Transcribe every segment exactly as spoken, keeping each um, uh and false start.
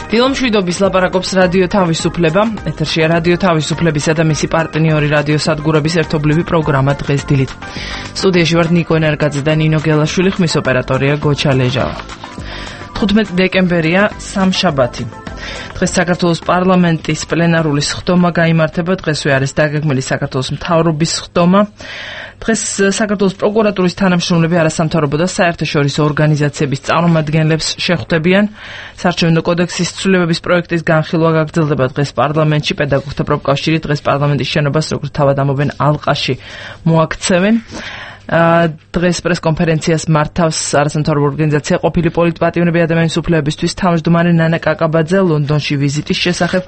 დილომშვიდობის ლაპარაკობს რადიო თავისუფლება. ეთერშია რადიო თავისუფლებისა და მისი პარტნიორი რადიო სადგურების ერთობლივი პროგრამა დღეს დილით. სტუდიაში ვართ ნიკო ენერგაძე და ნინო გელაშვილი, ხმის ოპერატორია გოჩა ლეჟავა. თხუთმეტი დეკემბერია, სამშაბათი. დღეს საქართველოს პარლამენტის პლენარული სხდომა გაიმართება. დღესვე არის დაგეგმილი საქართველოს მთავრობის სხდომა. დღეს საქართველოს პროკურატურის თანამშრომლები არასამთავრობო და საერთაშორისო ორგანიზაციების წარმომადგენლებს შეხვდებიან. საარჩევნო კოდექსის ცვლილებების პროექტის განხილვა გაგრძელდება დღეს პარლამენტში. პედაგოგთა პროფკავშირი დღეს პარლამენტის შენობას როგორც თავად ამობენ ალყაში მოაქცევენ. დღეს პრესკონფერენციას მართავს არასამთავრობო ორგანიზაცია ყოფილი პოლიტპატიმრები ადამიანის უფლებებისთვის თავმჯდომარე ნანა კაკაბაძე ლონდონში ვიზიტის შესახებ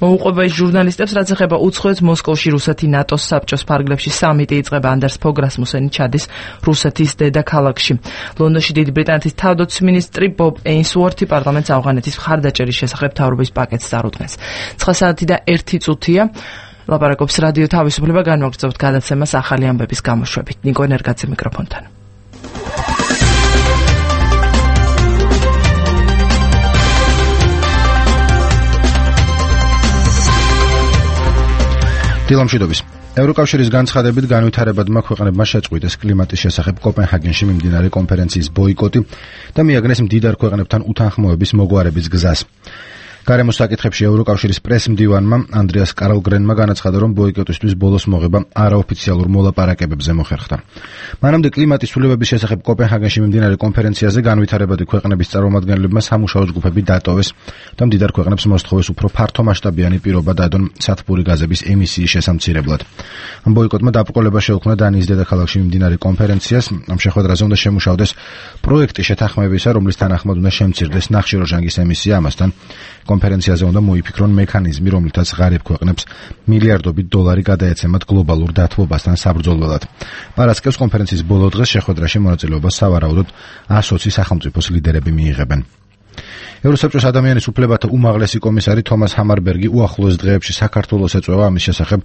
მოუყვება ის ჟურნალისტებს, რაც ეხება უცხოეთს. მოსკოვში რუსეთი ნატოს საბჭოს ფარგლებში სამიტი იწყება. ანდერს ფოგ რასმუსენი ჩადის რუსეთის დედაქალაქში. ლონდონში დიდი ბრიტანეთის თავდაცვის მინისტრი ბობ ეინსუორთი პარლამენტს ავღანეთის მხარდაჭერის შესახებ მთავრობის პაკეტს წარუდგენს. ცხრა საათი და ერთი წუთია. ლაპარაკობს რადიო თავისუფლება, განვაგრძობთ გადაცემას ახალი ამბების გამოშვებით. ნიკო ენერგაძე მიკროფონთან. დილომშვიდობის. ევროკავშირის განცხადებით განვითარებადმა ქვეყნებმა შეწყვიტეს კლიმატის შესახებ კოპენჰაგენში მიმდინარე კონფერენციის ბოიკოტი და მიაგნეს მდიდარ ქვეყნებთან უთანხმოების მოგვარების გზას. გარემოს საკითხებში ევროკავშირის პრესმდივანმა ანდრეას კარლგრენმა განაცხადა, რომ ბოიკოტისთვის ბოლოს მოღება არაოფიციალურ მოლაპარაკებებზე მოხერხდა. მანამდე კლიმატის ცვლილებების შესახებ კოპენჰაგენში მიმდინარე კონფერენციაზე განვითარებადი ქვეყნების წარმომადგენლებმა სამუშაო ჯგუფები დატოვეს და მდიდარ ქვეყნებს მოსთხოვეს უფრო ფართომასშტაბიანი პირობა დადონ სათბური გაზების ემისიის შესამცირებლად. ბოიკოტმა დაბრკოლება შეუქმნა დანიის დედაქალაქში მიმდინარე კონფერენციას. ამ შეხვედრაზე უნდა შემუშავდეს პროექტი შეთანხმებისა, რომლის თანახმად უნდა შემცირდეს ნახშირორჟანგის ემისია. ამასთან კონფერენციაზე უნდა მოიფიქრონ მექანიზმი, რომლითაც ღარიბ ქვეყნებს მილიარდობით დოლარი გადაეცემათ გლობალურ დათბობასთან საბრძოლველად. პარასკევს კონფერენციის ბოლო დღეს შეხვედრაში მონაწილეობას სავარაუდოდ ასოცი სახელმწიფოს ლიდერები მიიღებენ. ევროსაბჭოს ადამიანის უფლებათა უმაღლესი კომისარი თომას ჰამარბერგი უახლოეს დღეებში საქართველოს ეწვევა. ამის შესახებ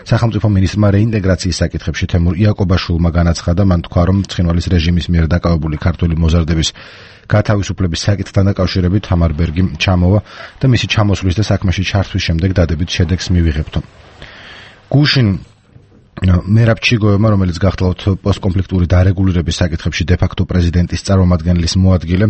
სახელმწიფო მინისტრმა რეინტეგრაციის საკითხებში თემურ იაკობაშვილმა განაცხადა. მან თქვა, რომ ცხინვალის რეჟიმის მიერ დაკავებული ქართული მოზარდების გათავისუფლების საკითხთან დაკავშირებით ჰამარბერგი ჩამოვა და მისი ჩამოსვლის და საქმეში ჩართვის შემდეგ დადებით შედეგს მივიღებთ. გუშინ მერაბ ჩიგოევმა, რომელიც გახლავთ პოსტკონფლიქტური დარეგულირების საკითხებში დე-ფაქტო პრეზიდენტის წარმომადგენლის მოადგილე,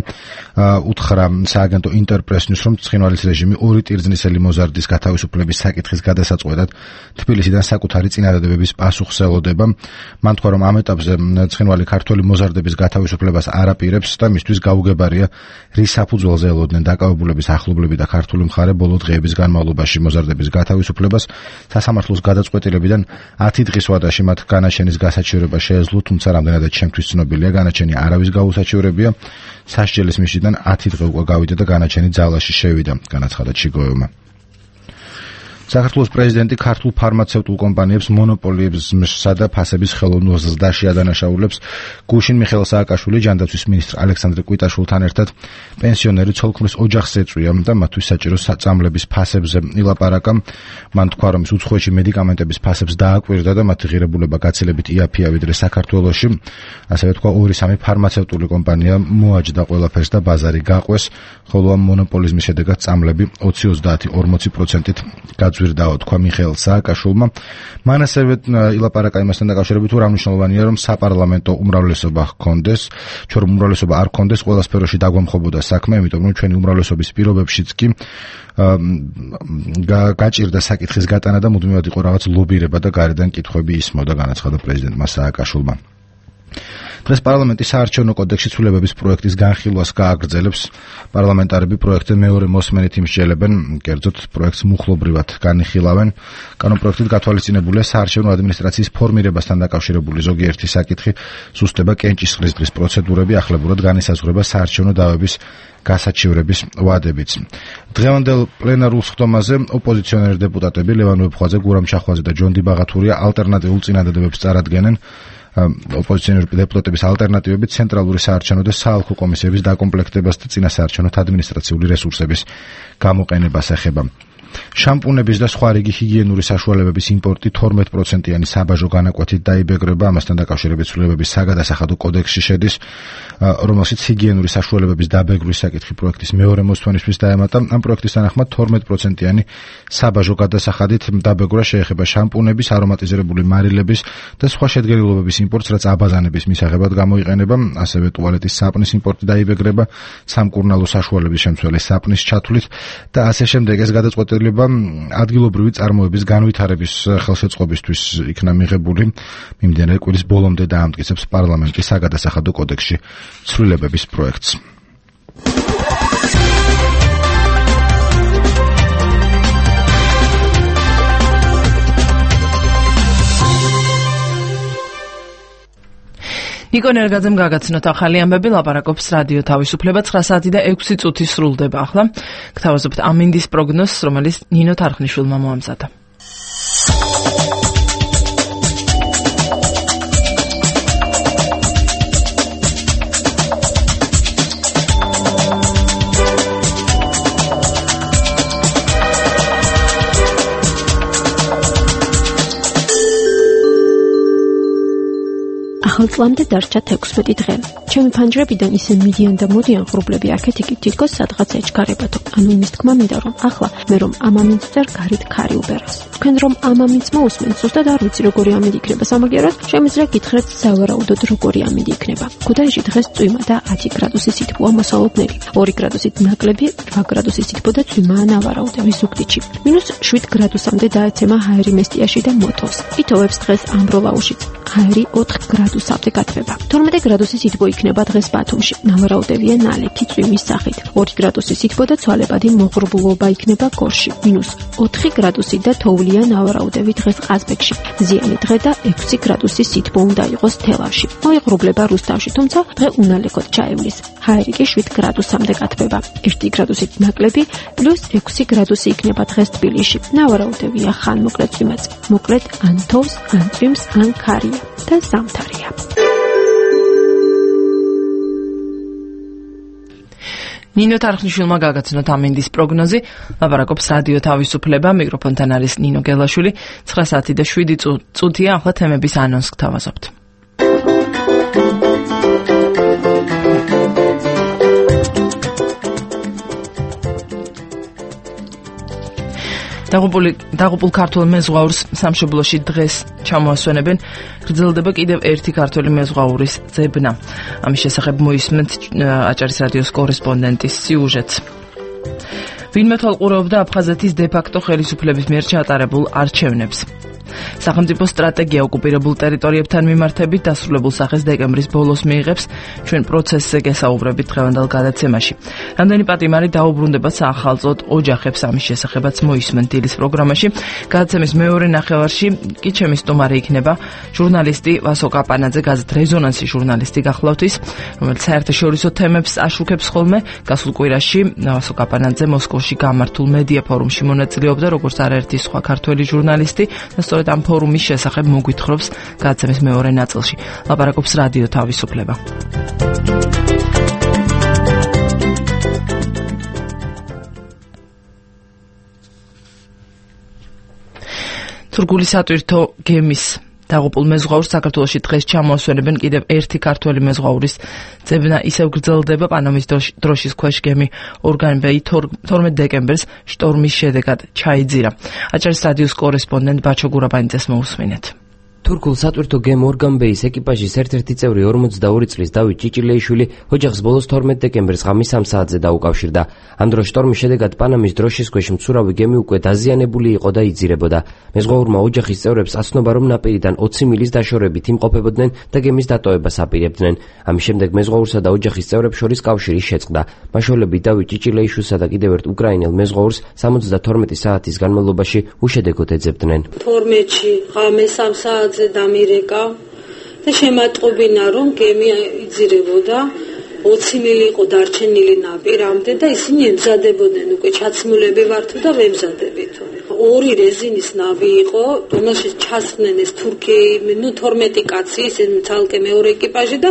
უთხრა სააგენტო ინტერპრესს, რომ ცხინვალის რეჟიმი ორი ტირძნისელი მოზარდის გათავისუფლების საკითხის გადასაწყვეტად თბილისიდან საკუთარი წინადადებების პასუხს ელოდება. მან თქვა, რომ ამ ეტაპზე ცხინვალი ქართველი მოზარდების გათავისუფლებას არ აპირებს და მისთვის გაუგებარია, რის საფუძველზე ელოდნენ დაკავებულების ახლობლები და ქართული მხარე ბოლო დღეების განმავლობაში მოზარდების გათავისუფლებას. სასამართლოს გადაწყვეტილებიდან ათი დღის ვადაში მათ განაჩენის გასაჩივრება შეეძლო, თუმცა რამდენადაც ჩემთვის ცნობილია, განაჩენი არავის გაუსაჩივრებია. სასჯელის მისიდან ათი დღე უკვე გავიდა და განაჩენი ძალაში შევიდა, განაცხადა ჩიგოევმა. საქართველოს პრეზიდენტი ქართულ ფარმაცევტულ კომპანიებს მონოპოლიებსა და ფასების ხელოვნურ ზრდაში ადანაშაულებს. გუშინ მიხეილ სააკაშვილი ჯანდაცვის მინისტრ ალექსანდრე კვიტაშვილთან ერთად პენსიონერი ცოლქმრის ოჯახს ეწვია და მათთვის საჭირო საწამლების ფასებზე ილაპარაკა. მან თქვა, რომ უცხოეთში მედიკამენტების ფასებს დააკვირდა და მათი ღირებულება გაცილებით იაფია ვიდრე საქართველოში. ასევე თქვა, ორი სამი ფარმაცევტული კომპანია მოაჯდა ყველაფერს და ბაზარი გაყვეს, ხოლო ამ მონოპოლიზმის შედეგად წამლები ოცი ოცდაათი ორმოცი პროცენტით ზვირდაო, თქვა მიხეილ სააკაშვილმა. მან ასევე ილაპარაკა იმასთან დაკავშირებით, რომ მნიშვნელოვანია, რომ საპარლამენტო უმრავლესობა ჰქონდეს, ჩვენ რომ უმრავლესობა არ ჰქონდეს, ყველა სფეროში დაგვამხობოდა საქმე, იმიტომ რომ ჩვენი უმრავლესობის პირობებშიც კი გაჭირდა საკითხის გატანა და მუდმივად იყო რაღაც ლობირება და გარედან კითხვები ისმოდა, განაცხადა პრეზიდენტმა სააკაშვილმა. დღეს პარლამენტი საარჩევნო კოდექსის ცვლილებების პროექტის განხილვას გააგრძელებს. პარლამენტარები პროექტზე მეორე მოსმენით იმსჯელებენ, კერძოდ პროექტს მუხლობრივად განიხილავენ. კანონპროექტით გათვალისწინებულია საარჩევნო ადმინისტრაციის ფორმირებასთან დაკავშირებული ზოგიერთი საკითხი, სუსტება კენჭისყრისდღის პროცედურები, ახლებურად განისაზღვრება საარჩევნო დავების გასაჩივრების ვადებიც. დღევანდელ პლენარულ სხდომაზე ოპოზიციონერი დეპუტატები ლევან ვეფხვაძე, გურამ ჩახვაძე და ჯონ იბაღათურია ალტერნატიულ წინადადებებს წარადგენენ. ოპოზიციონერი დეპუტატების ალტერნატივები ცენტრალური საარჩევნო და საალხო კომისიების დაკომპლექტებას და წინასაარჩევნო ადმინისტრაციული რესურსების გამოყენებას ეხება. შამპუნების და სხვა რიგი ჰიგიენური საშუალებების იმპორტი თორმეტ პროცენტიანი საბაჟო განაკვეთით დაიბეგრება. ამასთან დაკავშირებით ცვლილებების საგადასახადო კოდექსში შედის, რომელშიც ჰიგიენური საშუალებების დაბეგრვის საკითხი პროექტის მეორე მოსვენისთვის დაემატა. ამ პროექტის თანახმად თორმეტ პროცენტიანი საბაჟო გადასახადით დაბეგრვა შეეხება შამპუნების, არომატიზირებული მარილების და სხვა შედგენილობების იმპორტს, რაც აბაზანების მისაღებად გამოიყენება. ასევე ტუალეტის საპნის იმპორტი დაიბეგრება, სამკურნალო საშუალების შემცველი საპნის ჩათვლით და ასე შემდეგ. ეს გადაწყვეტილება ადგილობრივი წარმოების განვითარების ხელშეწყობისთვის იქნა მიღებული. მიმდინარე კვირის ბოლომდე დაამტკიცებს პარლამენტის საგადასახადო კოდექსში ცვლილებების პროექტს. ნიკო ნერგაძემ გაგაცნოთ ახალი ამბები, ლაპარაკობს რადიო თავისუფლება. ცხრა საათი და ექვსი წუთი სრულდება ახლა. გთავაზობთ ამინდის პროგნოზს, რომელიც ნინო თარხნიშვილმა მოამზადა. ახალ წლამდე დარჩა თექვსმეტი დღე. ჩემი ფანჯრებიდან ისე მიდიან და მოდიან ღრუბლები აქეთ-იქ თითქოს სადღაც ეჩქარებათო. ანუ იმის თქმა მინდა რომ ახლა მე რომ ამამინც ვწერ გარეთ ქარი უბერას. თქვენ რომ ამამინც მოусმენთ, ზუსტად არ ვიცი როგორი ამინდი იქნება სამაგიეროდ, შემიძლია გითხრათ სავარაუდოდ როგორი ამინდი იქნება. ქუთაისში დღეს წვიმა და ათი გრადუსი სითბოა მოსალოდნელი. ორი გრადუსით ნაკლები, რვა გრადუსი სითბო და წვიმაა ნავარაუდევი ზუგდიდში. მინუს შვიდ გრადუსამდე დაეცემა ჰაერი მესტიაში და მოთოვს. იტოვებს დღეს ამბროლაუშიც. ჰაერი ოთხ გრადუსამდე გათბება. თორმეტი გრადუსი სითბო იქნება დღეს ბათუმში. ნავარაუდევია ნალექი წვიმის სახით. ორი გრადუსი სითბო და ცვალებადი მოღრუბლობა იქნება გორში. მინუს ოთხი გრადუსი და თოვლია ნავარაუდევი დღეს ყაზბეგში. ზიანი დღე და ექვსი გრადუსი სითბო უნდა იყოს თელავში. მოიღრუბლება რუსთავში, თუმცა დღე უნალექოდ ჩაივლის. ჰაერი კი შვიდ გრადუსამდე გათბება. ერთი გრადუსით ნაკლები პლუს ექვსი გრადუსი იქნება დღეს თბილისში. ნავარაუდევია ხან მოკლედ წვიმაც. მოკლედ ან თოვს, ან წვიმს, ან ქარია და ზამთარია. ნინო თარხნიშვილმა გაგაცნოთ ამინდის პროგნოზი, ლაპარაკობს რადიო თავისუფლება, მიკროფონთან არის ნინო გელაშვილი. ცხრა საათი და შვიდი წუთია, ახლა თემების ანონსს გთავაზობთ. დაღუპული დაღუპულ ქართულ მეზღვაურს სამშობლოში დღეს ჩამოასვენებენ. გრძელდება კიდევ ერთი ქართველი მეზღვაურის ძებნა. ამის შესახებ მოისმენთ აჭარის რადიოს კორესპონდენტის სიუჟეტს. ვინმე თვალყურეობდა აფხაზეთის დე-ფაქტო ხელისუფლების მიერ ჩატარებულ არჩევნებს. სახელმწიფო სტრატეგია ოკუპირებულ ტერიტორიებთან მიმართებით დასრულებულ სახეს დეკემბრის ბოლოს მიიღებს. ჩვენ პროცესზე გესაუბრებით დღევანდელ გადაცემაში. რამდენი პატიმარი დაუბრუნდება საახალწოდ ოჯახებს, ამის შესახებაც მოისმენთ დილის პროგრამაში. გადაცემის მეორე ნახევარში კი ჩემი სტუმარი იქნება ჟურნალისტი ვასო კაპანაძე, გაზეთ რეზონანსი ჟურნალისტი გახლავთ ის, რომელიც საერთაშორისო თემებს აშუქებს ხოლმე. გასულ კვირაში ვასო კაპანაძე მოსკოვში გამართულ მედია ფორუმში მონაწილეობდა, როგორც არაერთი სხვა ქართველი ჟურნალისტი და სწორედ ამ ფორუმის შესახებ მოგვითხრობს გადაცემის მეორე ნაწილში. ლაპარაკობს რადიო თავისუფლება. თურქული სატვირთო გემის დაღუპულ მეზღვაურს საქართველოში დღეს ჩამოასვენებენ. კიდევ ერთი ქართველი მეზღვაურის ძებნა ისევ გრძელდება. პანამის დროშის ქვეშ გემი ორგანბეი თორმეტ დეკემბერს შტორმის შედეგად ჩაიძირა. აჭარის რადიოს კორესპონდენტ ბაჩო გურაბანიძეს მოусმინეთ. თურქულ სატვირთო გემ ორგანბეის ეკიპაჟის ერთ-ერთი წევრი ორმოცდაორი წლის დავით ჭიჭილეიშვილი ოჯახს ბოლოს თორმეტ დეკემბერს ღამის სამ საათზე დაუკავშირდა. ამ დროს შტორმის შედეგად პანამის დროშის ქვეშ მცურავი გემი უკვე დაზიანებული იყო და იძირებოდა. მეზღვაურმა ოჯახის წევრებს აცნობა, რომ ნაპირიდან ოცი მილის დაშორებით იმყოფებოდნენ და გემის დატოვებას აპირებდნენ. ამის შემდეგ მეზღვაურსა და ოჯახის წევრებს შორის კავშირი შეწყდა. მაშველები დავით ჭიჭილეიშვილსა და კიდევ ერთ უკრაინელ მეზღვაურს სამოცდათორმეტი საათის განმავლობაში უშედეგოდ ეძებდნენ. თორმეტში ღამეს სამ საათზე დამირეკა და შემატყობინა, რომ გემი იძირებოდა. ოცი მილი იყო დარჩენილი ნაპირამდე და ისინი ემზადებოდნენ, უკვე ჩაცმულები ვართო და ვემზადებითო. ორი რეზინის ნავი იყო, რომელშიც ჩასხდნენ ეს თურქი, ნუ თორმეტი კაცი, ისინი ცალკე მეორე ეკიპაჟი და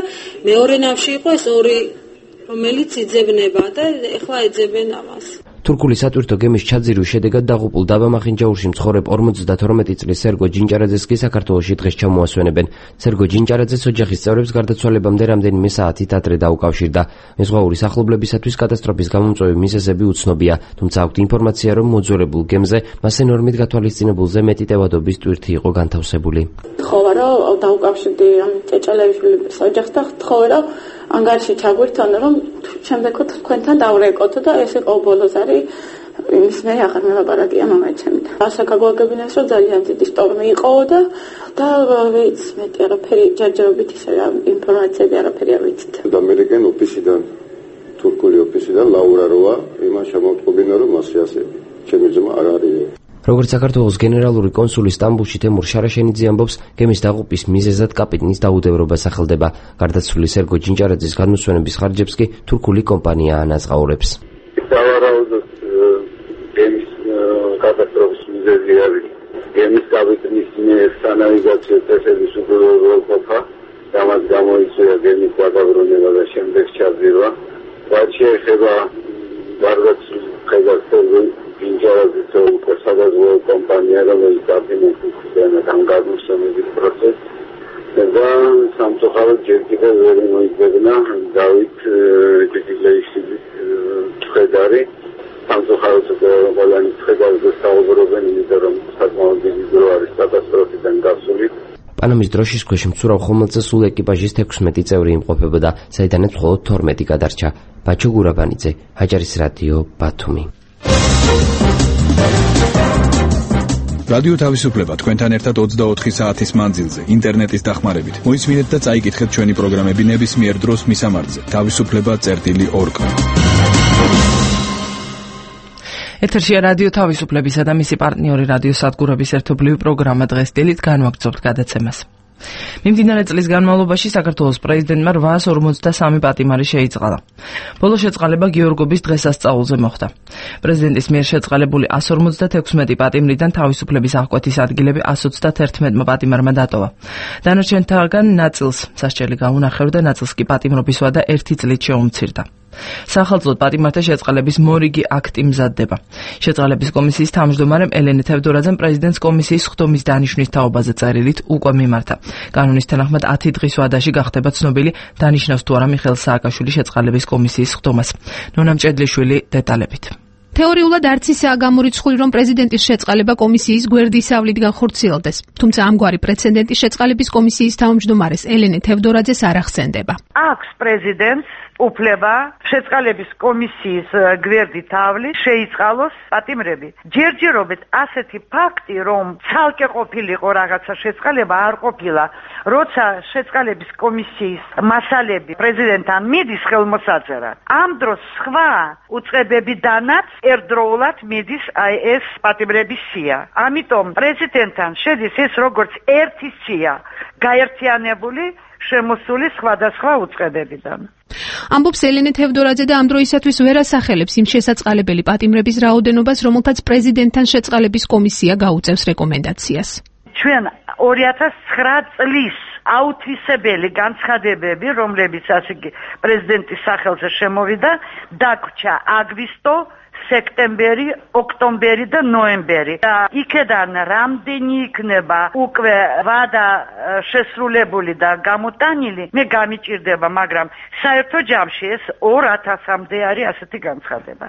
მეორე ნავში იყო ეს ორი, რომელიც იძებნება და ეხლა ეძებენ ამას. თურქული სატვირთო გემის ჩაძირვის შედეგად დაღუპულ დაბამახინჯაურში მცხოვრებ ორმოცდათორმეტი წლის სერგო ჯინჭარაძეს კი საქართველოში დღეს ჩამოასვენებენ. სერგო ჯინჭარაძეს ოჯახის წევრებს გარდაცვალებამდე რამდენიმე საათით ადრე დაუკავშირდა. მეზღვაურის ახლობლებისათვის კატასტროფის გამომწვევი მიზეზები უცნობია, თუმცა აქვთ ინფორმაცია, რომ მოძველებულ გემზე მას ენორმით გათვალისწინებულზე მეტი ტევადობის ტვირთი იყო განთავსებული. თხოვა რომ დაუკავშირდი ამ ჭეჭელეიშვილის ოჯახს და თხოვა რომ ანგარიში ჩაგვირთონ, რომ შემდეგო თქვენთან დავრეკოთ და ეს იყო ბოლო ზარი იმის მე აღარ მელაპარაკია მამაჩემი. ასე გაგვაგებინეს, რომ ძალიან დიდი შტორმი იყო და და ვიც მეტი არაფერი ჯერჯერობით ისე ინფორმაციები არაფერი არ ვიცით. ამერიკენ ოფისიდან თურქული ოფისიდან ლაურა როა იმას შემოვწყობინა, რომ მასე ასე ჩემი ძმა არ არის. როგორც საქართველოს გენერალური კონსული სტამბულში თემურ შარაშენიძე ამბობს, გემის დაღუპვის მიზეზად კაპიტნის დაუდევრობა სახელდება. გარდაცვლილი სერგო ჯინჭარაძის განმსვენების ხარჯებს კი თურქული კომპანია ანაზღაურებს. სავარაუდოდ გემის კატასტროფის მიზეზი არის გემის კაპიტნის სანავიგაციო წესების უღრუბლობა, რამაც გამოიწვია გემის დაგაბრუნება და შემდეგ ჩაძირვა. რაც შეეხება გარდაცვლილ ხელმძღვანელს ჯინჭარაძის უკვე სადაზღვევო კომპანია, რომელიც დაფინანსირდა ამ გადმოსვენების პროცესს და სამწუხაროდ ჯერ კიდევ ვერ მოიძებნა დავით ჭეჭელეიშვილის ცხედარი. სამწუხაროდ ყველანი ცხედარზე საუბრობენ, იმიტომ რომ საკმაოდ დიდი დრო არის კატასტროფიდან გასული. პანამის დროშის ქვეშ მცურავ ხომალდზე სულ ეკიპაჟის თექვსმეტი წევრი იმყოფებოდა, საიდანაც მხოლოდ თორმეტი გადარჩა. ბაჩო გურაბანიძე, აჯარის რადიო, ბათუმი. რადიო თავისუფლება თქვენთან ერთად ოცდაოთხი საათის მანძილზე ინტერნეტის დახმარებით. მოისმინეთ და წაიკითხეთ ჩვენი პროგრამები ნებისმიერ დროს მისამართზე თავისუფლება წერტილი ორგ. ეთერშია რადიო თავისუფლებისა და მისი პარტნიორი რადიო სადგურების ერთობლივი პროგრამა დღეს დილით განვაგრძობთ გადაცემას. მიმდინარე წლის განმავლობაში საქართველოს პრეზიდენტმა რვაას ორმოცდასამი პატიმარი შეიწყალა. ბოლო შეწყალება გიორგობის დღესასწაულზე მოხდა. პრეზიდენტის მიერ შეწყალებული εκατს ორმოცდათექვსმეტი პატიმრიდან თავისუფლების აღკვეთის ადგილები εκατს ოცდათერთმეტმა პატიმარმა დატოვა. დანარჩენთაგან ნაწილს სასჯელი გაუნახევრდა, ნაწილს კი პატიმრობის ვადა ერთი წლით შეუმცირდა. სახელმწიფო პატიმართა შეწყალების მორიგი აქტი მზადდება. შეწყალების კომისიის თავმჯდომარემ ელენე თევდორაძემ პრეზიდენტს კომისიის სხდომის დანიშვნის თაობაზე წერილით უკვე მიმართა. კანონის თანახმად ათი დღის ვადაში გახდება ცნობილი, დანიშნავს თუ არა მიხეილ სააკაშვილი შეწყალების კომისიის სხდომას. ნონა მჭედლიშვილი დეტალებით. თეორიულად არც ისაა გამორიცხული, რომ პრეზიდენტის შეწყალება კომისიის გვერდისავლით განხორციელდეს. თუმცა ამგვარი პრეცედენტი შეწყალების კომისიის თავმჯდომარეს ელენე თევდორაძეს არ ახსენდება. აქვს პრეზიდენტს უფლება შეწყალების კომისიის გვერდით ავლით შეიწყალოს პატიმრები. ჯერჯერობით ასეთი ფაქტი, რომ ცალკე ყოფილიყო რაღაცა შეწყალება, არ ყოფილა. როცა შეწყალების კომისიის მასალები პრეზიდენტთან მიდის ხელმოსაწერად, ამ დროს სხვა უწყებებიდანაც ერთდროულად მიდის აი ეს პატიმრების სია. ამიტომ პრეზიდენტთან შედის ეს როგორც ერთი სია, გაერთიანებული შემოსული სხვადასხვა უწყებებიდან. ამბობს ელენე თევდორაძე და ამ დროისათვის ვერ ასახელებს იმ შესაწყალებელი პატიმრების რაოდენობას, რომელთაც პრეზიდენტთან შეწყალების კომისია გაუწევს რეკომენდაციას. ჩვენ ორი ათას ცხრა წლის აუთვისებელი განცხადებები, რომლებიც ასე პრეზიდენტის სახელზე შემოვიდა, დაგვრჩა აგვისტო, სექტემბერი, ოქტომბერი და ნოემბერი. და იქედან რამდენი იქნება უკვე ვადა შესრულებული და გამოტანილი, მე გამიჭირდება, მაგრამ საერთო ჯამში ეს ორ ათასამდე არის ასეთი განცხადება.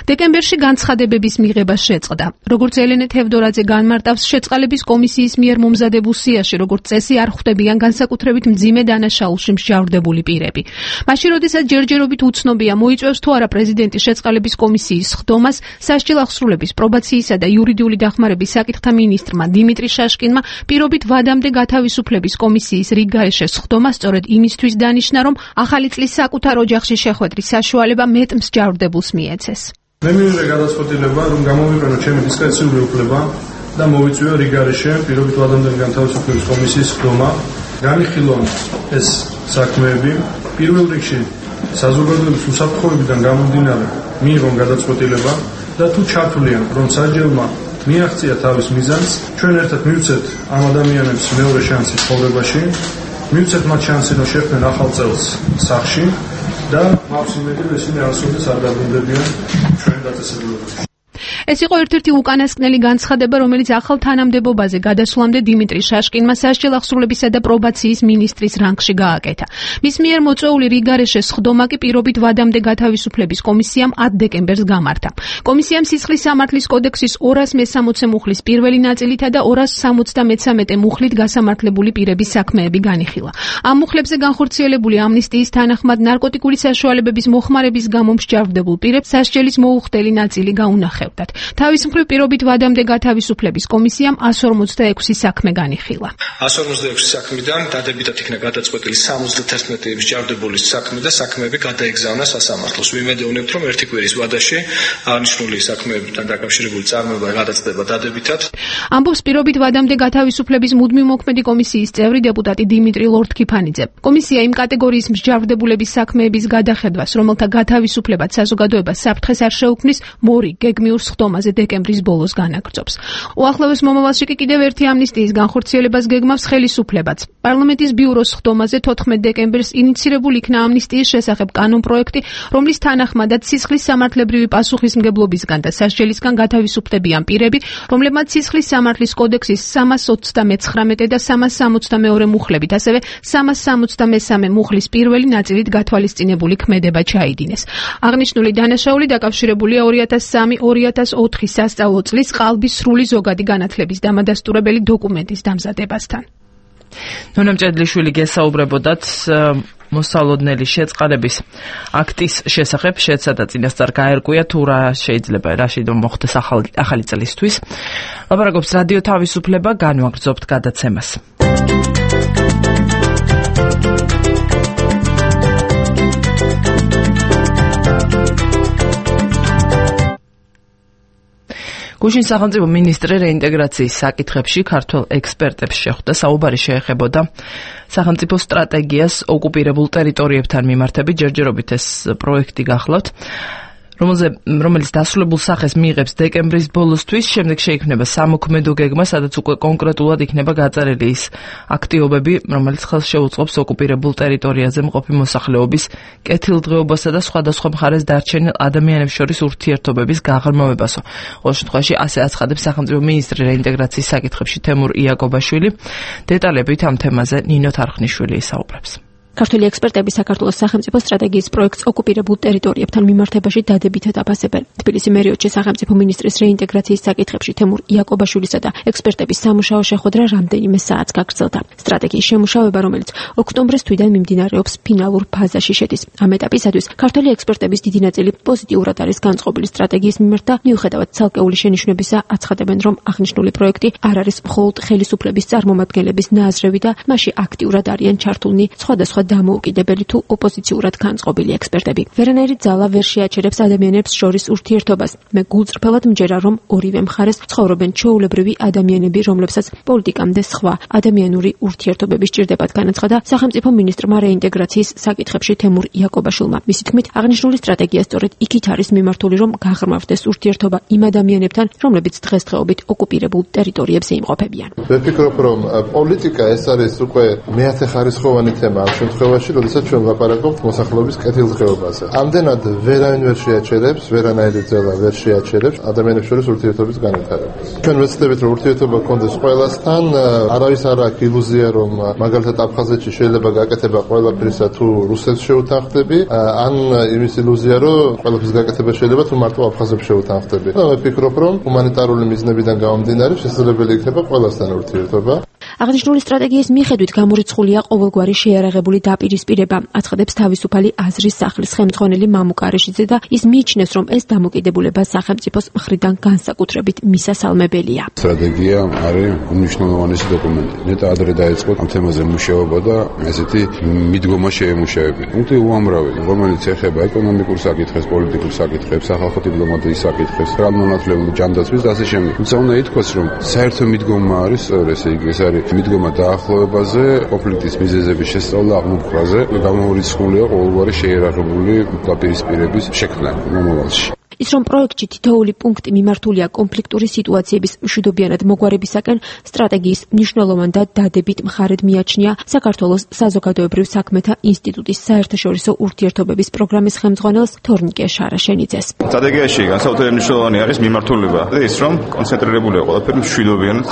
დეკემბერში განცხადებების მიღება შეწყდა. როგორც ელენე თევდორაძე განმარტავს, შეწყალების კომისიის მიერ მომზადებულ სიაში, როგორც წესი, არ ხვდებიან განსაკუთრებით მძიმე დანაშაულში მსჯავრდებული პირები. მაშინ, როდესაც ჯერჯერობით უცნობია, მოიწვევს თუ არა პრეზიდენტის შეწყალების კომისიის სხდომას, სასჯელ აღსრულების, პრობაციისა და იურიდიული დახმარების საკითხთა მინისტრმა დიმიტრი შაშკინმა პირობით ვადამდე გათავისუფლების კომისიის რიგგარეშე სხდომა სწორედ იმისთვის დანიშნა, რომ ახალი წლის საკუთარ ოჯახში შეხვედრის საშუალება მეტ მსჯავრდებულს მიეცეს. მე მივიღე გადაწყვეტილება, რომ გამოვიყენო ჩემი დისკრეციული უფლება და მოვიწვიო რიგგარეშე პირობით ვადამდელი განთავისუფლების კომისიის სხდომა. განიხილონ ეს საქმეები. პირველ რიგში საზოგადოების უსაფრთხოებიდან გამომდინარე მიიღონ გადაწყვეტილება და თუ ჩართვლიან, რომ სასჯელმა მიაღწია თავის მიზანს, ჩვენ ერთად მივცეთ ამ ადამიანებს მეორე შანსი ცხოვრებაში, მივცეთ მათ შანსი, რომ შეხვდნენ ახალ წელს სახლში და მაქვს იმედი, რომ ისინი არასოდეს არ დაბრუნდებიან ჩვენ დაწესებულებაში. ეს იყო ერთ-ერთი უკანასკნელი განცხადება, რომელიც ახალ თანამდებობაზე გადასვლამდე დიმიტრი შაშკინმა სასჯელ ახსრულებისა და პრობაციის მინისტრის რანგში გააკეთა. მის მიერ მოწვეული რიგარეშეს სხდომა კი პირობით ვადამდე გათავისუფლების კომისიამ ათ დეკემბერს გამართა. კომისიამ სისხლის სამართლის კოდექსის ორას მესამოცე მუხლის პირველი ნაწილითა და ორას სამოცდამეცამეტე მუხლით გასამართლებული პირების საქმეები განიხილა. ამ მუხლებზე განხორციელებული ამნისტიის თანახმად ნარკოტიკული საშუალებების მოხმარების გამო მსჯავრდებულ პირებს სასჯელის მოუხდელი ნაწილი გაუნახევდათ. თავის მხრივ პირობით ვადამდე გათავისუფლების კომისიამ εκατს ორმოცდაექვსი საქმე განიხილა. εκατს ორმოცდაექვსი საქმიდან დადებითად იქნა გადაწყვეტილი სამოცდაათი მსჯავრდებული საქმე და საქმეები გადაეგზავნა სასამართლოს. ვიმედოვნებთ, რომ ერთი კვირის ვადაში აღნიშნული საქმეებთან დაკავშირებული წარმოება გადაწყვეტება დადებითად. ამბობს პირობით ვადამდე გათავისუფლების მუდმივ მოქმედი კომისიის წევრი დეპუტატი დიმიტრი ლორთქიფანიძე. კომისია იმ კატეგორიის მსჯავრდებულების საქმეების გადახედვას, რომელთა გათავისუფლებაც საზოგადოებას საფრთხეს არ შეუქმნის, მორი გეგმიურ სხდომაზე დეკემბრის ბოლოს განაგრძობს. უახლოეს მომავალში კი კიდევ ერთი ამნისტიის განხორციელებას გეგმავს ხელისუფლებაც. პარლამენტის ბიუროს სხდომაზე თოთხმეტ დეკემბერს ინიცირებული იქნა ამნისტიის შესახებ კანონპროექტი, რომლის თანახმადაც სისხლის სამართლებრივი პასუხისმგებლობისგან და სასჯელისგან გათავისუფლებიან პირები, რომლებმაც სისხლის სამართლის კოდექსის სამას ოცდამეცხრამეტე და სამას სამოცდამეორე მუხლებით, ასევე სამას სამოცდამესამე მუხლის პირველი ნაწილით გათვალისწინებული ქმედება ჩაიდინეს. აღნიშნული დანაშაული დაკავშირებულია ორი ათას სამი ორი ათას ოთხი სასწავლო წლის ყალბის სრული ზოგადი განათლების დამადასტურებელი დოკუმენტის დამზადებასთან. ნონა მჭედლიშვილი გესაუბრებოდათ მოსალოდნელი შეწყალების აქტის შესახებ, შეეცადა წინასწარ გაერკვია თუ რა შეიძლება რაში მოხდეს ახალი ახალი წლისთვის. ლაპარაკობს რადიო თავისუფლება, განვაგრძობთ გადაცემას. გუშინ სახელმწიფო მინისტრი რეინტეგრაციის საკითხებში ქართველ ექსპერტებს შეხვდა. საუბარი შეეხებოდა სახელმწიფო სტრატეგიას ოკუპირებულ ტერიტორიებთან მიმართებით. ჯერჯერობით ეს პროექტი გახლავთ, რომელიც დასრულებულ სახეს მიიღებს დეკემბრის ბოლოსთვის. შემდეგ შეიქმნება სამოქმედო გეგმა, სადაც უკვე კონკრეტულად იქნება გაწერილი ის აქტივობები, რომელიც ხელს შეუწყობს ოკუპირებულ ტერიტორიაზე მყოფი მოსახლეობის კეთილდღეობასა და სხვადასხვა მხარეს დარჩენილ ადამიანებს შორის ურთიერთობების გაღრმავებასო. ყოველ შემთხვევაში ასე აცხადებს სახელმწიფო მინისტრი რეინტეგრაციის საკითხებში თემურ იაკობაშვილი. დეტალებით ამ თემაზე ნინო თარხნიშვილი ისაუბრებს. ქართველი ექსპერტები საქართველოს სახელმწიფო სტრატეგიის პროექტს ოკუპირებულ ტერიტორიებთან მიმართებაში დადებითად აფასებენ. თბილისი მერიოტში სახელმწიფო მინისტრის რეინტეგრაციის საკითხებში თემურ იაკობაშვილისა და ექსპერტების სამუშაო შეხვედრა რამდენიმე საათს გაგრძელდა. სტრატეგიის შემუშავება, რომელიც ოქტომბრის თვიდან მიმდინარეობს, ფინალურ ფაზაში შედის. ამ ეტაპისათვის ქართველი ექსპერტების დიდი ნაწილი პოზიტიურად არის განწყობილი სტრატეგიის მიმართ და მიუხედავად ცალკეული შენიშვნებისა, აცხადებენ, რომ აღნიშნული პროექტი არ არის მხოლოდ ხელისუფლების წარმომადგენლების ნაზრევი და მასში აქტიურად არიან ჩართულნი სხვადასხვა დამოუკიდებელი თუ ოპოზიციურად განწყობილი ექსპერტები. ვერანაირი ძალა ვერ შეაჩერებს ადამიანებს შორის ურთიერთობას. მე გულწრფელად მჯერა, რომ ორივე მხარეს ცხოვრობენ ჩვეულებრივი ადამიანები, რომლებსაც პოლიტიკამდე სხვა ადამიანური ურთიერთობები სჭირდებათ, განაცხადა სახელმწიფო მინისტრმა რეინტეგრაციის საკითხებში თემურ იაკობაშვილმა. მისი თქმით, აღნიშნული სტრატეგია სწორედ იქით არის მიმართული, რომ გაღრმავდეს ურთიერთობა იმ ადამიანებთან, რომლებიც დღესდღეობით ოკუპირებულ ტერიტორიებზე იმყოფებიან. მე ვფიქრობ, რომ პოლიტიკა ეს არის უკვე მეათეხარისხოვანი თემა. შემთხვევაში, როდესაც ჩვენ ლაპარაკობთ მოსახლეობის კეთილდღეობაზე. ამდენად ვერავინ ვერ შეაჩერებს, ვერანაირი ძალა ვერ შეაჩერებს ადამიანებს შორის ურთიერთობის განვითარებას. ჩვენ ვეცდებით, რომ ურთიერთობა გქონდეს ყველასთან, არავის არ აქვს ილუზია, რომ მაგალითად აფხაზეთში შეიძლება გაკეთება ყველაფრისა თუ რუსეთს შეუთანხმდები, ან იმის ილუზია, რომ ყველაფრის გაკეთება შეიძლება თუ მარტო აფხაზებს შეუთანხმდები. და მე ვფიქრობ, რომ ჰუმანიტარული მიზნებიდან გამომდინარე შესაძლებელი იქნება ყველასთან ურთიერთობა. აღნიშნული სტრატეგიის მიხედვით გამორიცხულია ყოველგვარი შეიარაღებული დაპირისპირება, აცხადებს თავისუფალი აზრის სახლის ხელმძღვანელი მამუკ არეშიძე და ის მიიჩნევს, რომ ეს დამოკიდებულება სახელმწიფოს მხრიდან განსაკუთრებით მისასალმებელია. სტრატეგია არის უმნიშვნელოვანესი დოკუმენტი. ნეტა ადრე დაიწყო ამ თემაზე მუშაობა და ესეთი მიდგომა შეემუშავებინა. ნუ უამრავი, რომელიც ეხება ეკონომიკურ საკითხებს, პოლიტიკურ საკითხებს, სახალხო დიპლომატიის საკითხებს, რამონათლებული ჯანდაცვის და ასე შემდეგ. თუმცა უნდა ითქვას, რომ საერთო მიდგომა არის, ესე იგი, ეს არის მიდგომა დაახლოებაზე, კონფლიქტის მიზეზების შესწავლა, აღმოფხვრაზე, გამოურიცხულია ყოველგვარი შეიარაღებული დაპირისპირების შექმნა მომავალში. ის რომ პროექტში თითოეული პუნქტი მიმართულია კონფლიქტური სიტუაციების მშვიდობიანად მოგვარებისაკენ, სტრატეგიის მნიშვნელოვან და დადებით მხარედ მიაჩნია საქართველოს საზოგადოებრივ საქმეთა ინსტიტუტის საერთაშორისო ურთიერთობების პროგრამის ხელმძღვანელს თორნიკე შარაშენიძეს. სტრატეგიაში განსაკუთრებით მნიშვნელოვანი არის მიმართულება და ის რომ კონცენტრირებულია ყველაფერი მშვიდობიანად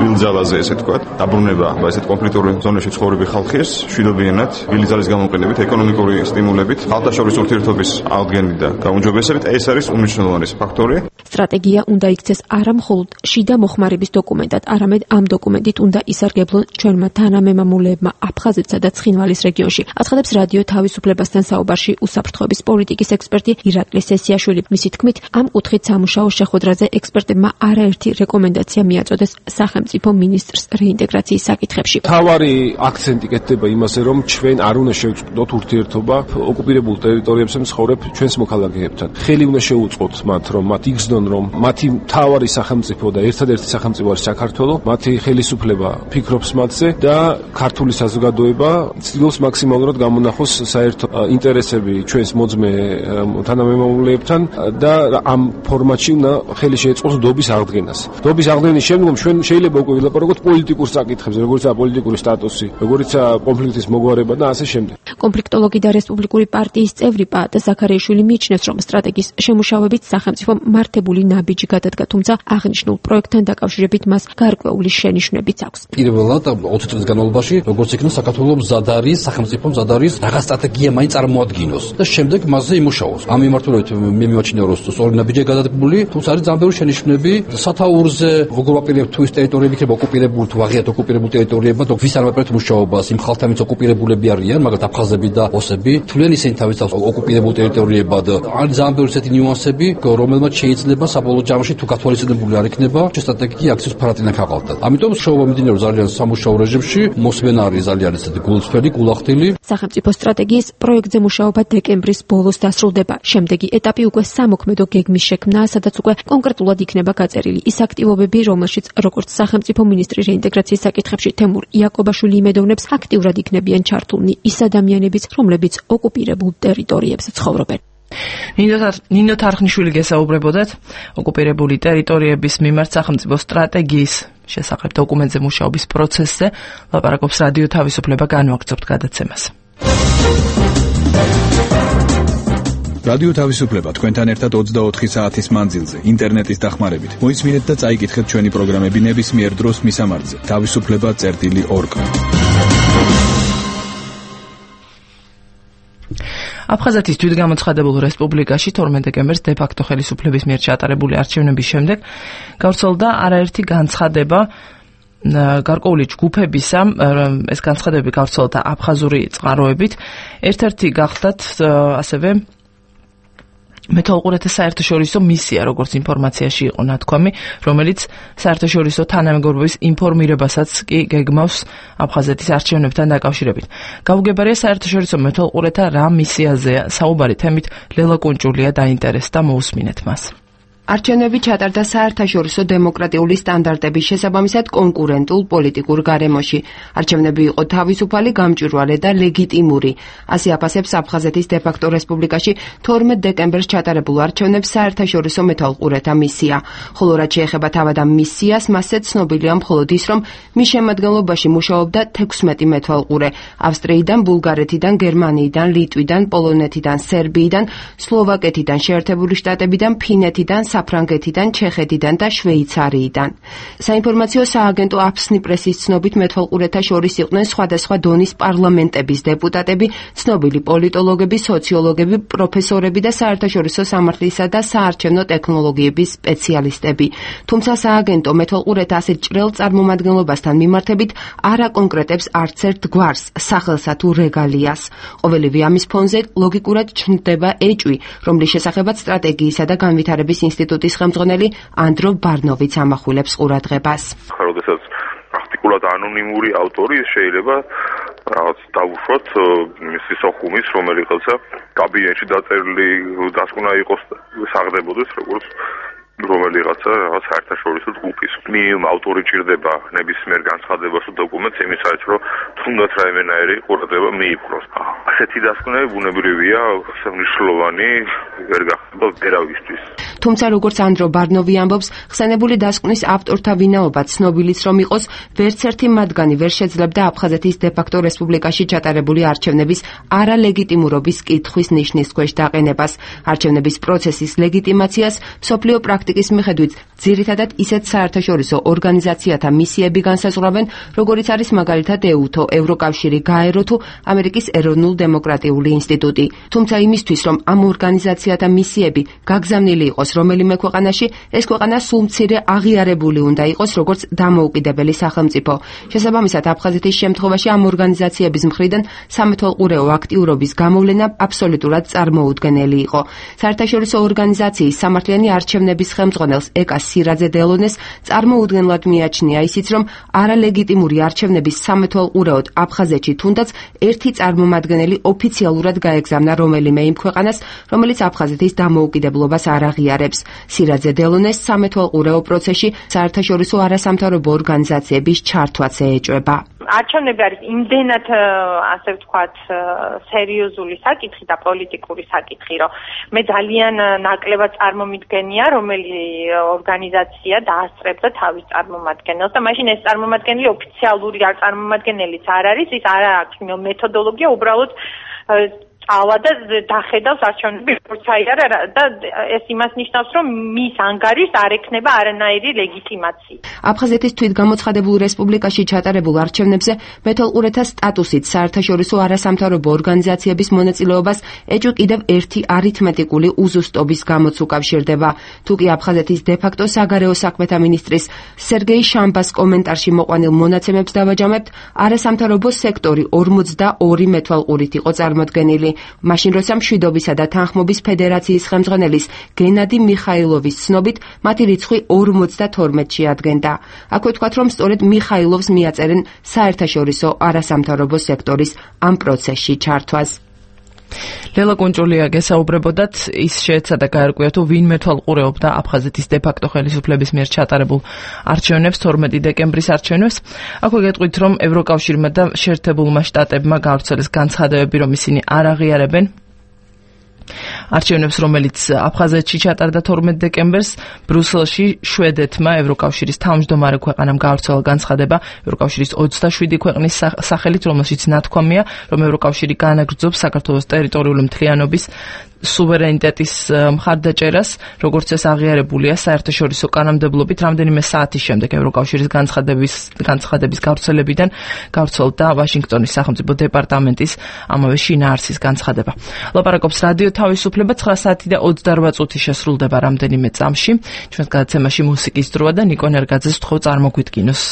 ვილძალაზე, ესე თქვათ, დაბრუნება ესეთ კონფლიქტური ზონაში ცხოვრები ხალხის მშვიდობიანად ვილძალის გამოყენებით, ეკონომიკური სტიმულებით, ხალხთა ურთიერთობის აღდგენით და გაუმჯობესებით, ეს არის უმნიშვნელოვანესი ფაქტორი. სტრატეგია უნდა იქცეს არა მხოლოდ შიდა მოხმარების დოკუმენტად, არამედ ამ დოკუმენტით უნდა ისარგებლონ ჩვენმა თანამემამულეებმა აფხაზეთსა და ცხინვალის რეგიონში. აცხადებს რადიო თავისუფლებასთან საუბარში უსაფრთხოების პოლიტიკის ექსპერტი ირაკლი სესიაშვილი. მისი თქმით, ამ კუთხით სამუშაო შეხვედრაზე ექსპერტებმა არაერთი რეკომენდაცია მიაწოდეს სახელმწიფო მინისტრს რეინტეგრაციის საკითხებში. თავარი აქცენტი კეთდება იმაზე, რომ ჩვენ არ უნდა შევწყვეტოთ ურთიერთობა ოკუპირებულ ტერიტორიებზე მცხოვრებ ჩვენს მოქალაქეებთან. ხელი უნდა შეუწყოთ მათ, რომ მათ იგრძნონ, რომ მათი მთავარი სახელმწიფო და ერთადერთი სახელმწიფო არის საქართველო, მათი ხელისუფლება ფიქრობს მათზე და ქართული საზოგადოება ცდილობს მაქსიმალურად გამონახოს საერთო ინტერესები ჩვენს მოძმე თანამემამულეებთან და ამ ფორმატში უნდა ხელი შეეწყოს დობის აღდგენას. დობის აღდგენის შემდგომ ჩვენ შეიძლება უკვე ვილაპარაკოთ პოლიტიკურ საკითხებზე, როგორიცაა პოლიტიკური სტატუსი, როგორიცაა კონფლიქტის მოგვარება და ასე შემდეგ. კონფლიქტოლოგი და რესპუბლიკური პარტიის წევრი პაატა ზაქარიაშვილი მიიჩნევს, რომ სტრატეგიის შემუშავებით სახელმწიფომ მართებული ნაბიჯი გადადგა, თუმცა აღნიშნულ პროექტთან დაკავშირებით მას გარკვეული შენიშვნებიც აქვს. პირველად ოცი წლის განმავლობაში, როგორც იქნა საქართველოს მზად არის, სახელმწიფო მზად არის რაღაც სტრატეგია მაინც წარმოადგინოს და შემდეგ მასზე იმუშაოს. ამ მიმართულებით მე მიმაჩნია, რომ სწორი ნაბიჯია გადადგმული, თუმცა არის ძალიან ბევრი შენიშვნები სათაურზე, როგორ ვაპირებთ თუ ის ტერიტორიები იქნება ოკუპირებული თუ აღიარეთ ოკუპირებულ ტერიტორიებად, ვის არ ვაპირებთ მუშაობას, იმ ხალხთან ვინც ოკუპირებულები არიან, მაგალითად აფხაზები და ოსები, თვლიან ისინი თავის თავს ოკუპირებულ ტერიტორიებად. არის ძალიან ბევრი ესეთი ნიუანსები, რომელმაც შეიძლება საბოლოო ჯამში თუ გათვალისწინებული არ იქნება, სტრატეგია აქციის ფარატინა ქაღალდად. ამიტომ შოუვა მიმდინარეობს ძალიან სამუშაო რეჟიმში, მოსმენა არის ძალიან ესეთი გულწრფელი, გულახდილი. სახელმწიფო სტრატეგიის პროექტზე მუშაობა დეკემბრის ბოლოს დასრულდება. შემდეგი ეტაპი უკვე სამოქმედო გეგმის შექმნაა, სადაც უკვე კონკრეტულად იქნება გაწერილი ის აქტივობები, რომელშიც როგორც სახელმწიფო მინისტრი რეინტეგრაციის საკითხებში თემურ იაკობაშვილი იმედოვნებს, აქტიურად იქნებიან ჩართულნი ის ადამიანებიც, რომლებიც ოკუპირებულ ტერიტორიებზე ცხოვრობენ. ნინო თარხნიშვილი გესაუბრებოდათ ოკუპირებული ტერიტორიების მიმართ სახელმწიფო სტრატეგიის შესახებ დოკუმენტზე მუშაობის პროცესზე. ლაპარაკობს რადიო თავისუფლება, განვაგრძობთ გადაცემას. რადიო თავისუფლება თქვენთან ერთად ოცდაოთხი საათის მანძილზე ინტერნეტის დახმარებით. მოისმინეთ და წაიკითხეთ ჩვენი პროგრამები ნებისმიერ დროს მისამართზე თავისუფლება წერტილი ორგ. აფხაზეთის თვითგამოცხადებულ რესპუბლიკაში თორმეტ დეკემბერს დე-ფაქტო ხელისუფლების მიერ ჩატარებული არჩევნების შემდეგ გავრცელდა არაერთი განცხადება გარკვეული ჯგუფებისა. ეს განცხადებები გავრცელდა აფხაზური წყაროებით. ერთ-ერთი გახდათ ასევე მეთვალყურეთა საერთაშორისო მისია, როგორც ინფორმაციაში იყო ნათქვამი, რომელიც საერთაშორისო თანამეგობრობის ინფორმირებასაც კი გეგმავს აფხაზეთის არჩევნებთან დაკავშირებით. გაუგებარია საერთაშორისო მეთვალყურეთა რა მისიაზეა საუბარი, თემით ლელა კუნჭულია დაინტერესდა, მოусმინეთ მას. არჩევნები ჩატარდა საერთაშორისო დემოკრატიული სტანდარტების შესაბამისად კონკურენტულ პოლიტიკურ გარემოში. არჩევნები იყო თავისუფალი, გამჭვირვალე და ლეგიტიმური. ასე აფასებს აფხაზეთის დე-ფაქტო რესპუბლიკაში თორმეტ დეკემბერს ჩატარებულ არჩევნებს საერთაშორისო მეთვალყურეთა მისია. ხოლო რაც შეეხება თავად ამ მისიას, მასზე ცნობილია მხოლოდ ის, რომ მის შემადგენლობაში მუშაობდა თექვსმეტი მეთვალყურე. ავსტრიიდან, ბულგარეთიდან, გერმანიიდან, ლიტვიდან, პოლონეთიდან, სერბიიდან, სლოვაკეთიდან, შეერთებული შტატებიდან, ფინეთიდან, საფრანგეთიდან, ჩეხეთიდან და შვეიცარიიდან. საინფორმაციო სააგენტო აფსნი პრესის ცნობით მეთვალყურეთა შორის იყვნენ სხვადასხვა დონის პარლამენტების დეპუტატები, ცნობილი პოლიტოლოგები, სოციოლოგები, პროფესორები და საერთაშორისო სამართლისა და საარჩევნო ტექნოლოგიების სპეციალისტები. თუმცა სააგენტო მეთვალყურეთა ასეთ ჭრელ წარმომადგენლობასთან მიმართებით არ აკონკრეტებს არც ერთ გვარს, სახელსა თუ რეგალიას. ყოველივე ამის ფონზე ლოგიკურად ჩნდება ეჭვი, რომლის შესახებაც სტრატეგიისა და განვითარების ინსტიტუტის ხელმძღვანელი ანდრო ბარნოვიც ამახვილებს ყურადღებას. როდესაც პრაქტიკულად ანონიმური ავტორი შეიძლება რაღაც დავუშვათ მისი სოხუმის რომელიღაცა კაბინეტში დაწერილი დასკვნა იყოს საღდებოდეს როგორც რომელიღაცა რაღაც საერთაშორისო ჯგუფის მინიმუმ ავტორი ჭირდება ნებისმიერ განცხადებას თუ დოკუმენტს იმისათვის რომ თუნდაც რაიმენაირი ყურადღება მიიპყროს. ასეთი დასკვნები ბუნებრივია, მნიშვნელოვანი ვერ გახდება ვერავისთვის. თუმცა როგორც ანდრო ბარნოვი ამბობს, ხსენებული დასკვნის ავტორთა ვინაობა ცნობილიც რომ იყოს, ვერც ერთი მათგანი ვერ შეძლებდა აფხაზეთის დე-ფაქტო რესპუბლიკაში ჩატარებული არჩევნების არალეგიტიმურობის კითხვის ნიშნის ქვეშ დაყენებას. არჩევნების პროცესის ლეგიტიმაციას მსოფლიო პრაქტიკის მიხედვით ძირითადად ისეთ საერთაშორისო ორგანიზაციათა მისიები განსაზღვრავენ, როგორიც არის მაგალითად ეუთო, ევროკავშირი, გაერო თუ ამერიკის ეროვნულ დემოკრატიული ინსტიტუტი. თუმცა იმისთვის, რომ ამ ორგანიზაციათა მისიები გაგზავნილი იყოს რომელიმე ქვეყანაში, ეს ქვეყანა სულ მცირე აღიარებული უნდა იყოს როგორც დამოუკიდებელი სახელმწიფო. შესაბამისად, აფხაზეთის შემთხვევაში ამ ორგანიზაციების მხრიდან სამეთვალყურეო აქტიურობის გამოვლენა აბსოლუტურად წარმოუდგენელი იყო. საერთაშორისო ორგანიზაციის სამართლიანი არჩევნების ხელმძღვანელს ეკას სირაძე დელონეს წარმოუდგენლად მიაჩნია ისიც, რომ არალეგიტიმური არჩევნების სამეთვალყურეოდ აფხაზეთში თუნდაც ერთი წარმომადგენელი ოფიციალურად გაეგზავნა რომელიმე იმ ქვეყანას, რომელიც აფხაზეთის დამოუკიდებლობას არ აღიარებს. სირაძე დელონეს სამეთვალყურეო პროცესში საერთაშორისო არასამთავრობო ორგანიზაციების ჩართვაც ეეჭვება. არჩევნები არის იმდენად, ასე ვთქვათ, სერიოზული საკითხი და პოლიტიკური საკითხი, რომ მე ძალიან ნაკლებად წარმომიდგენია, რომელი ორგანიზაცია დაასწრებდა თავის წარმომადგენელს და მაშინ ეს წარმომადგენელი ოფიციალური არ წარმომადგენელიც არ არის, ის არ აქვს მეთოდოლოგია, უბრალოდ ავა და დახედავს არჩევნები როგორც აიარა და ეს იმას ნიშნავს, რომ მის ანგარიშს არ ექნება არანაირი ლეგიტიმაცია. აფხაზეთის თვითგამოცხადებულ რესპუბლიკაში ჩატარებულ არჩევნებზე მეთვალყურეთა სტატუსით საერთაშორისო არასამთავრობო ორგანიზაციების მონაწილეობას ეჭვ კიდევ ერთი არითმეტიკული უზუსტობის გამოც უკავშირდება. თუკი აფხაზეთის დე-ფაქტო საგარეო საქმეთა მინისტრის სერგეი შამბას კომენტარში მოყვანილ მონაცემებს დავაჯამებთ, არასამთავრობო სექტორი ორმოცდაორი მეთვალყურით იყო წარმოდგენილი. მაშინ როცა მშვიდობისა და თანხმობის ფედერაციის ხელმძღვანელის გენადი მიხაილოვის ცნობით მათი რიცხვი ორმოცდათორმეტში ადგენდა. აქვე ვთქვათ, რომ სწორედ მიხაილოვს მიაწერენ საერთაშორისო არასამთავრობო სექტორის ამ პროცესში ჩართვას. ლელა კუნჭულია გესაუბრებოდათ, ის შეეცადა გაერკვია თუ ვინ მეთვალყურეობდა აფხაზეთის დე-ფაქტო ხელისუფლების მიერ ჩატარებულ არჩევნებს, თორმეტი დეკემბრის არჩევნებს. აქვე გეტყვით, რომ ევროკავშირმა და შეერთებულმა შტატებმა გავრცელეს განცხადებები, რომ ისინი არ აღიარებენ არჩევნებს, რომელიც აფხაზეთში ჩატარდა თორმეტ დეკემბერს. ბრიუსელში შვედეთმა ევროკავშირის თავმჯდომარე ქვეყანამ გავრცელა განცხადება ევროკავშირის ოცდაშვიდი ქვეყნის სახელით, რომელშიც ნათქვამია, რომ ევროკავშირი განაგრძობს საქართველოს ტერიტორიული მთლიანობის სუვერენიტეტის მხარდაჭერას, როგორც ეს აღიარებულია საერთაშორისო კანონმდებლობით. რამდენიმე საათის შემდეგ ევროკავშირის განცხადების განცხადების გავრცელებიდან გავრცელდა ვაშინგტონის სახელმწიფო დეპარტამენტის ამავე შინაარსის განცხადება. ლაპარაკობს რადიო თავისუფლება. ცხრა საათი და ოცდაორ წუთი შესრულდება რამდენიმე წამში. ჩვენს გადაცემაში მუსიკის დროა და ნიკო ნერგაძეს ვთხოვ წარმოგვიდგინოს.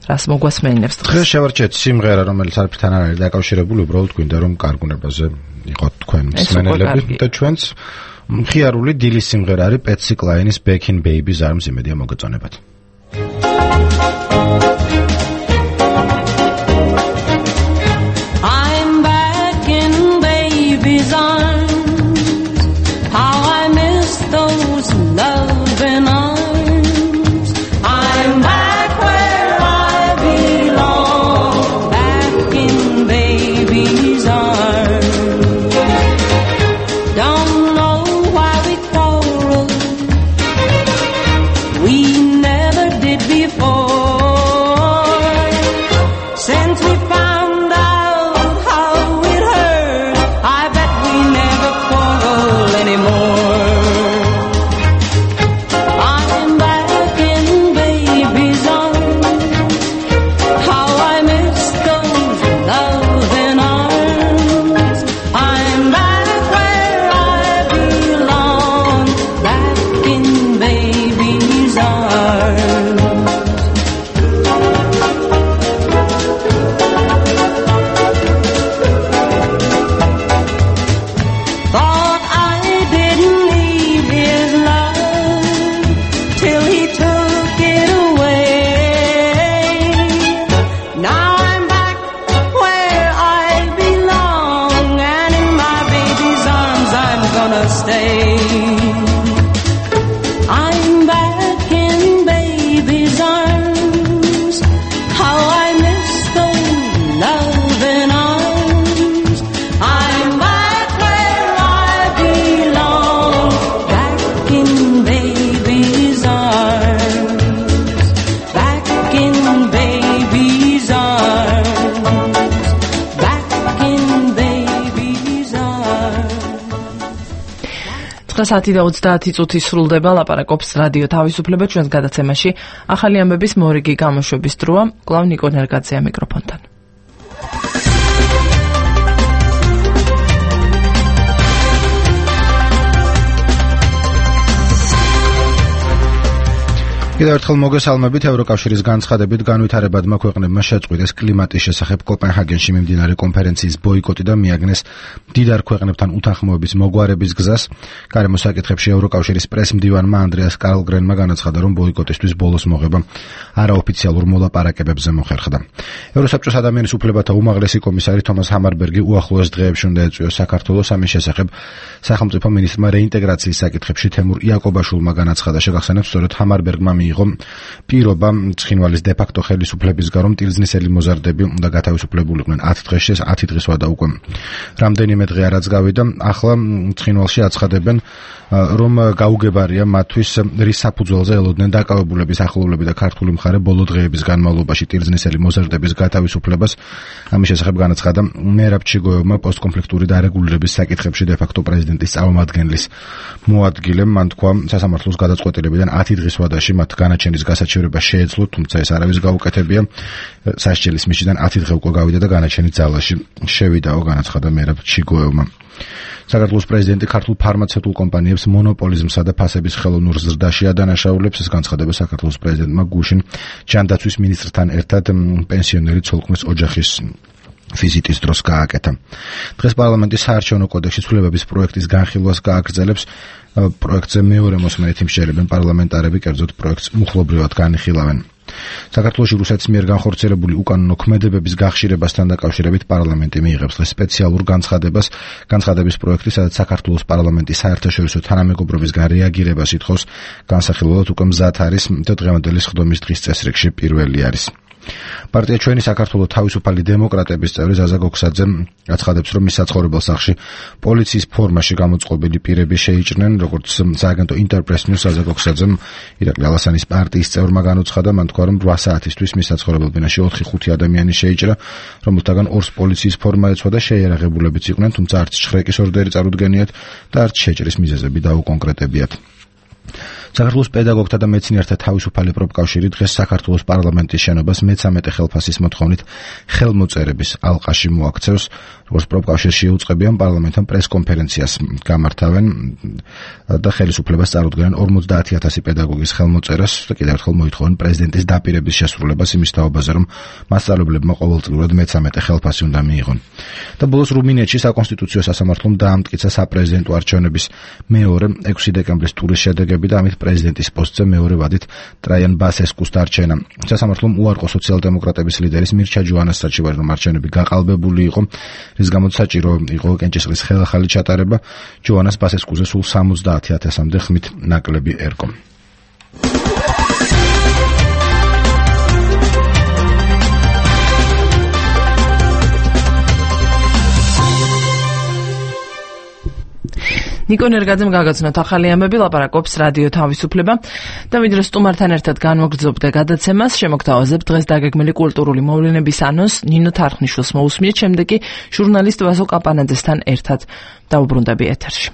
რას მოგვასმენინებს დღეს? დღეს შევარჩიეთ სიმღერა, რომელიც არაფერთან არ არის დაკავშირებული, უბრალოდ გვინდა რომ კარგუნებაზე იყოთ თქვენ მსმენელები და ჩვენც მხიარული დილის სიმღერა არის პეტსი კლაინის Back in Baby's Arms. იმედია მოგეწონებათ. I'm back in baby's arms. How I miss those loving arms. I'm back where I belong. Back in baby's arms. Don't know why we quarreled. We never did before. დღეს ათი და ოცდაათი წუთი სრულდება ლაპარაკობს რადიო თავისუფლება ჩვენს გადაცემაში. ახალი ამბების მორიგი გამოშვების დროა. კვლავ ნიკო ნერგაძეა მიკროფონთან. კიდევ ერთხელ მოგესალმებით. ევროკავშირის განცხადებით განვითარებადმა ქვეყნებმა შეწყვიტეს კლიმატის შესახებ კოპენჰაგენში მიმდინარე კონფერენციის ბოიკოტი და მიაგნეს მდიდარ ქვეყნებთან უთანხმოების მოგვარების გზას. გარემოს საკითხებში ევროკავშირის პრესმდივანმა ანდრეას კარლგრენმა განაცხადა, რომ ბოიკოტისთვის ბოლოს მოღება არაოფიციალურ მოლაპარაკებებზე მოხერხდა. ევროსაბჭოს ადამიანის უფლებათა უმაღლესი კომისარი თომას ჰამარბერგი უახლოეს დღეებში უნდა ეწვიოს საქართველოს. ამის შესახებ სახელმწიფო მინისტრმა რეინტეგრაციის საკითხებში თემურ იაკობაშვილმა განაცხადა. შეგახსენებთ, სწორედ ჰამარბერგმა მიიღო პირობა ცხინვალის დე-ფაქტო ხელისუფლებისგან, რომ ტილზნისელი მოზარდები უნდა გათავისუფლებულიყვნენ ათი დღეში, ეს ათი დღის ვადა უკვე რამდენიმე დღე არაც გავიდა. ახლა ცხინვალში აცხადებენ, რომ გაუგებარია მათთვის, რის საფუძველზე ელოდნენ დაკავებულების ახლობლები და ქართული მხარე ბოლო დღეების განმავლობაში ტილზნისელი მოზარდების გათავისუფლებას. ამის შესახებ განაცხადა მერაბ ჩიგოევმა პოსტკონფლიქტური დარეგულირების საკითხებში დე-ფაქტო პრეზიდენტის წარმომადგენლის მოადგილემ. მან თქვა, სასამართლოს გადაწყვეტილებიდან ათი დღის ვადაში მათ განაჩენის გასაჩივრება შეეძლო, თუმცა ეს არავის გაუკეთებია. სასჯელის მისიდან ათი დღე უკვე გავიდა და განაჩენი ძალაში შევიდაო, განაცხადა მერაბ ჩიგოევმა. საქართველოს პრეზიდენტი ქართულ ფარმაცევტულ კომპანიებს მონოპოლიზმსა და ფასების ხელოვნურ ზრდაში ადანაშაულებს. ეს განცხადება საქართველოს პრეზიდენტმა გუშინ ჯანდაცვის მინისტრთან ერთად პენსიონერი ცოლქმრის ოჯახის ვიზიტის დროს გააკეთა. დღეს პარლამენტის საარჩევნო კოდექსის ცვლილებების პროექტის განხილვას გააგრძელებს. პროექტზე მეორე მოსმენით იმსჯერებენ პარლამენტარები, კერძოდ პროექტს მუხლობრივად განიხილავენ. საქართველოში რუსეთის მიერ განხორციელებული უკანონო ქმედებების გახშირებასთან დაკავშირებით პარლამენტი მიიღებს დღეს სპეციალურ განცხადებას. განცხადების პროექტი, სადაც საქართველოს პარლამენტი საერთაშორისო თანამეგობრობისგან რეაგირებას ითხოვს, განსახილველად უკვე მზად არის და დღევანდელი სხდომის დღის წესრიგში პირველი არის. პარტია ჩვენი საქართველოს თავისუფალი დემოკრატების წევრი ზაზა გოქსაძე აცხადებს, რომ მის საცხოვრებელ სახლში პოლიციის ფორმაში გამოწყობილი პირები შეიჭრნენ. როგორც სააგენტო ინტერპრეს ნიუს ზაზა გოქსაძემ ირაკლი ალასანის პარტიის წევრმა განუცხადა, მან თქვა, რომ რვა საათისთვის მის საცხოვრებელ ბინაში ოთხი ხუთი ადამიანი შეიჭრა, რომელთაგან ორს პოლიციის ფორმა ეცვა და შეიარაღებულებიც იყვნენ, თუმცა არც შხრეკის ორდერი წარუდგენიათ და არც შეჭრის მიზეზები დაუკონკრეტებიათ. საქართველოს პედაგოგთა და მეცნიერთა თავისუფალი პროფკავშირი დღეს საქართველოს პარლამენტის შენობას მეცამეტე ხელფასის მოთხოვნით ხელმოწერების ალყაში მოაქცევს. როგორც პროფკავშირში უწყებიან, პარლამენტთან პრესკონფერენციას გამართავენ და ხელისუფლებას წარუდგენენ ორმოცდაათი ათასი პედაგოგის ხელმოწერას და კიდევ ერთხელ მოითხოვენ პრეზიდენტის დაპირების შესრულებას იმის თაობაზე, რომ მასწავლებლებმა ყოველწლიურად მეცამეტე ხელფასი უნდა მიიღონ. და ბოლოს რუმინეთში საკონსტიტუციო სასამართლომ დაამტკიცა საპრეზიდენტო არჩევნების მეორე ექვსი დეკემბრის ტურის შედეგები და ამით პრეზიდენტის პოსტზე მეორე ვადით ტრაიან ბასესკუს დარჩენა. სასამართლომ უარყო სოციალ-დემოკრატების ლიდერის მირჩა ჯოანას საჩივარი, რომ არჩევნები გაყალბებული იყო, რის გამოც საჭირო იყო კენჭისყრის ხელახალი ჩატარება. ჯოანას ბასესკუზე სულ სამოცდაათი ათასამდე ხმით ნაკლები ერგო. ნიკო ნერგაძემ გაგაცნოთ ახალი ამბები, ლაპარაკობს რადიო თავისუფლება და ვიდრე სტუმართან ერთად განვაგრძობთ გადაცემას, შემოგთავაზებთ დღეს დაგეგმილი კულტურული მოვლენების ანონს. ნინო თარხნიშვილს მოусმიეთ, შემდეგ კი ჟურნალისტ ვასო კაპანაძესთან ერთად დავუბრუნდები ეთერში.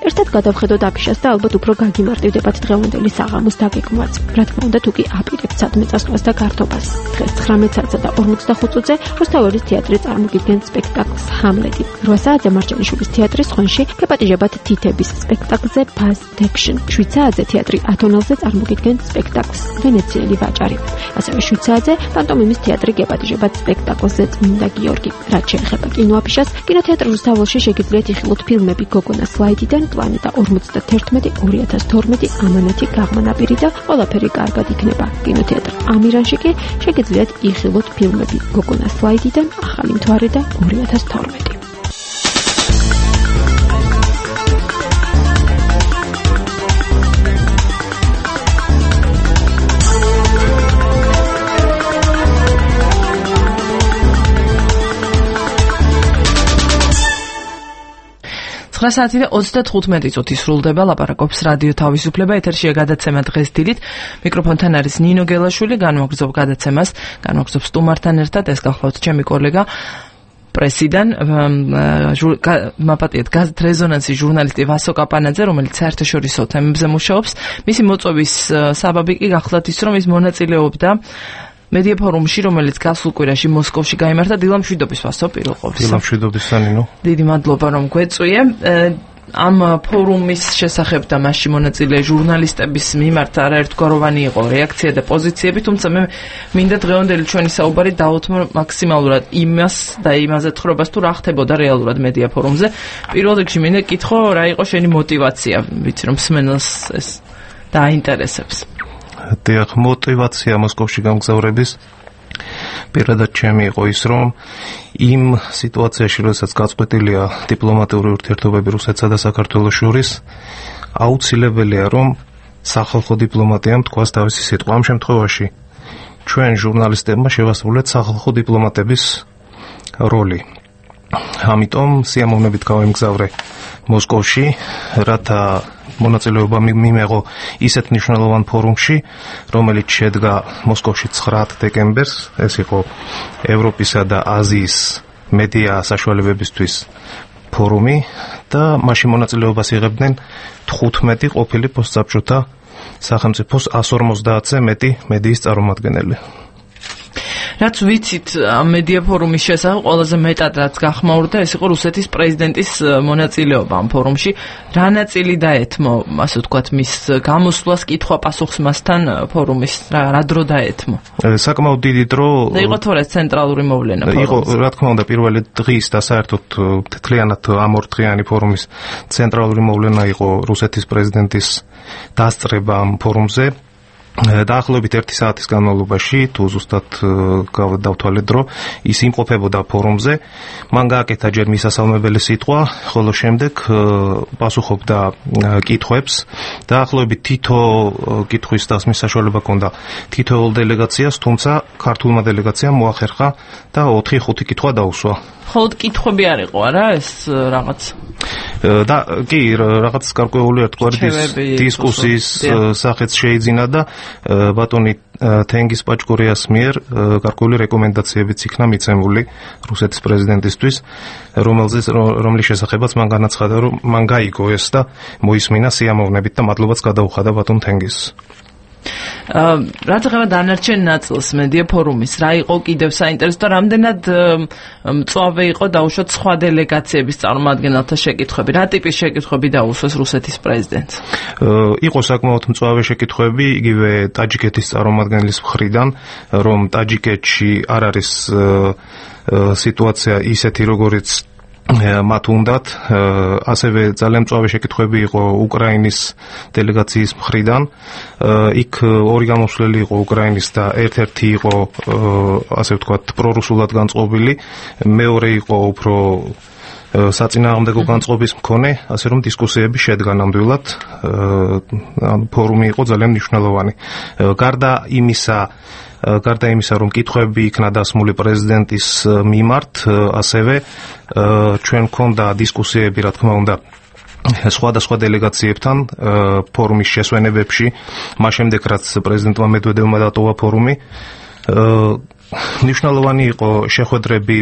ერთად გადავხედოთ აფიშას და ალბათ უფრო გაგიმარტივდებათ დღევანდელი საღამოს დაგეგმვაც. რა თქმა უნდა, თუ კი აპირებთ სადმე წასვლას და გართობას. დღეს ცხრამეტ საათსა და ორმოცდახუთ წუთზე რუსთაველის თეატრი წარმოგიდგენს სპექტაკლს ჰამლეტი. რვა საათზე მარჯანიშვილის თეატრის ხონში გეპატიჟებათ თითების სპექტაკლზე Past Action. შვიდ საათზე თეატრი ათონელზე წარმოგიდგენს სპექტაკლს ვენეციელი ვაჭარი. ასევე შვიდ საათზე პანტომიმის თეატრი გეპატიჟებათ სპექტაკლზე წმინდა გიორგი. რაც შეეხება კინოაფიშას, კინოთეატრი რუსთაველში შეგიძლიათ იხილოთ ფილმები გოგონა სლაიდიდან, პლანეტა ორმოცდაერთმეტი ორი ათას თორმეტი ამანათი გაღმანაპირი და ყველაფერი კარგად იქნება. კინოთეატრ ამირანში კი შეგიძლიათ იხილოთ ფილმები გოგონა სლაიდიდან, ახალი მთვარე და ორი ათას თორმეტი. ცხრა საათი და ოცდათხუთმეტი წუთი სრულდება, ლაპარაკობს რადიო თავისუფლება, ეთერშია გადაცემა დღეს დილით. მიკროფონთან არის ნინო გელაშვილი, განვაგრძობ გადაცემას, განვაგრძობ სტუმართან ერთად, ეს გახლავთ ჩემი კოლეგა პრესიდან, მაპატიეთ გაზეთ რეზონანსის ჟურნალისტი ვასო კაპანაძე, რომელიც საერთაშორისო თემებზე მუშაობს. მისი მოწვევის საბაბი კი გახლავთ ის, რომ ის მონაწილეობდა მედია ფორუმში, რომელიც გასულ კვირაში მოსკოვში გაიმართა. დილამშვიდობის ვასო პირველ ყოვლისა. დილამშვიდობის სანინო. დიდი მადლობა რომ გვეწვიე. ამ ფორუმის შესახებ და მასში მონაწილე ჟურნალისტების მიმართ არაერთგვაროვანი იყო რეაქცია და პოზიციები, თუმცა მე მინდა დღევანდელი ჩვენი საუბარი დავუთმო მაქსიმალურად იმას და იმაზე თხრობას თუ რა ხდებოდა რეალურად მედია ფორუმზე. პირველ რიგში მინდა კითხო, რა იყო შენი мотиваცია, ვიცი რომ სმენელს ეს დაინტერესებს. დიახ, мотиваცია მოსკოვში გამგზავრების პირადად ჩემი იყო ის, რომ იმ სიტუაციაში, როდესაც გაწყვეტილია დიპლომატიური ურთიერთობები რუსეთსა და საქართველოს შორის, აუცილებელია, რომ სახალხო დიპლომატიამ თქვას თავისი სიტყვა. ამ შემთხვევაში ჩვენ ჟურნალისტებმა შევასრულეთ სახალხო დიპლომატების როლი. ამიტომ სიამოვნებით გავემგზავრე მოსკოვში, რათა მონაწილეობა მიმეღო ისეთ მნიშვნელოვან ფორუმში, რომელიც შედგა მოსკოვში ცხრა დეკემბერს. ეს იყო ევროპისა და აზიის მედია საშუალებებისთვის ფორუმი და მასში მონაწილეობას იღებდნენ თხუთმეტი ყოფილი პოსტსაბჭოთა სახელმწიფოს εκατს ორმოცდაათზე მეტი მედიის წარმომადგენელი. რაც ვიცით ამ მედია ფორუმის შესახებ, ყველაზე მეტად რაც გახმაურდა, ეს იყო რუსეთის პრეზიდენტის მონაწილეობა ამ ფორუმში. რა ნაწილი დაეთმო, ასე ვთქვათ, მის გამოსვლას, კითხვა-პასუხს მასთან ფორუმის, რა, რა დრო დაეთმო? საკმაოდ დიდი დრო. და იყო თორე ცენტრალური მოვლენა ფორუმის. იყო, რა თქმა უნდა, პირველი დღის და საერთოდ თლიანად ამ ორდღიანი ფორუმის ცენტრალური მოვლენა იყო რუსეთის პრეზიდენტის დასწრება ამ ფორუმზე. დაახლოებით ერთი საათის განმავლობაში, თუ ზუსტად დავთვალეთ დრო, ის იმყოფებოდა ფორუმზე. მან გააკეთა ჯერ მისასალმებელი სიტყვა, ხოლო შემდეგ პასუხობდა კითხვებს. დაახლოებით თითო კითხვის დასმის საშუალება ჰქონდა თითოეულ დელეგაციას, თუმცა ქართულმა დელეგაციამ მოახერხა და ოთხი ხუთი კითხვა დაუსვა. ხოლოდ კითხვები არ იყო, არა ეს რაღაც? და კი, რაღაც გარკვეული ერთგვარი დისკუსიის სახეც შეიძინა და ბატონი თენგიზ პაჭკორიას მიერ გარკვეული რეკომენდაციებიც იქნა მიცემული რუსეთის პრეზიდენტისთვის, რომელზეც რომლის შესახებაც მან განაცხადა, რომ მან გაიგო ეს და მოისმინა სიამოვნებით და მადლობაც გადაუხადა ბატონ თენგიზს. რაც ეხება დანარჩენ ნაწილს მედია ფორუმის, რა იყო კიდევ საინტერესო და რამდენად მწვავე იყო დაუშვათ სხვა დელეგაციების წარმომადგენელთა შეკითხვები, რა ტიპის შეკითხვები დაუსვეს რუსეთის პრეზიდენტს? იყო საკმაოდ მწვავე შეკითხვები იგივე ტაჯიკეთის წარმომადგენლის მხრიდან, რომ ტაჯიკეთში არ არის სიტუაცია ისეთი, როგორიც მათ უნდათ. ასევე ძალიან მწვავე შეკითხვები იყო უკრაინის დელეგაციის მხრიდან. იქ ორი გამოსვლელი იყო უკრაინის და ერთ-ერთი იყო, ასე ვთქვათ, პრორუსულად განწყობილი, მეორე იყო უფრო საწინააღმდეგო განწყობის მქონე, ასე რომ დისკუსიები შედგა ნამდვილად. ფორუმი იყო ძალიან მნიშვნელოვანი. გარდა იმისა, გარდა იმისა, რომ კითხვები იქნა დასმული პრეზიდენტის მიმართ, ასევე ჩვენ გქონდა დისკუსიები, რა თქმა უნდა, სხვადასხვა დელეგაციებთან ფორუმის შესვენებებში, მას შემდეგ რაც პრეზიდენტმა მედვედევმა დატოვა ფორუმი. მნიშვნელოვანი იყო შეხვედრები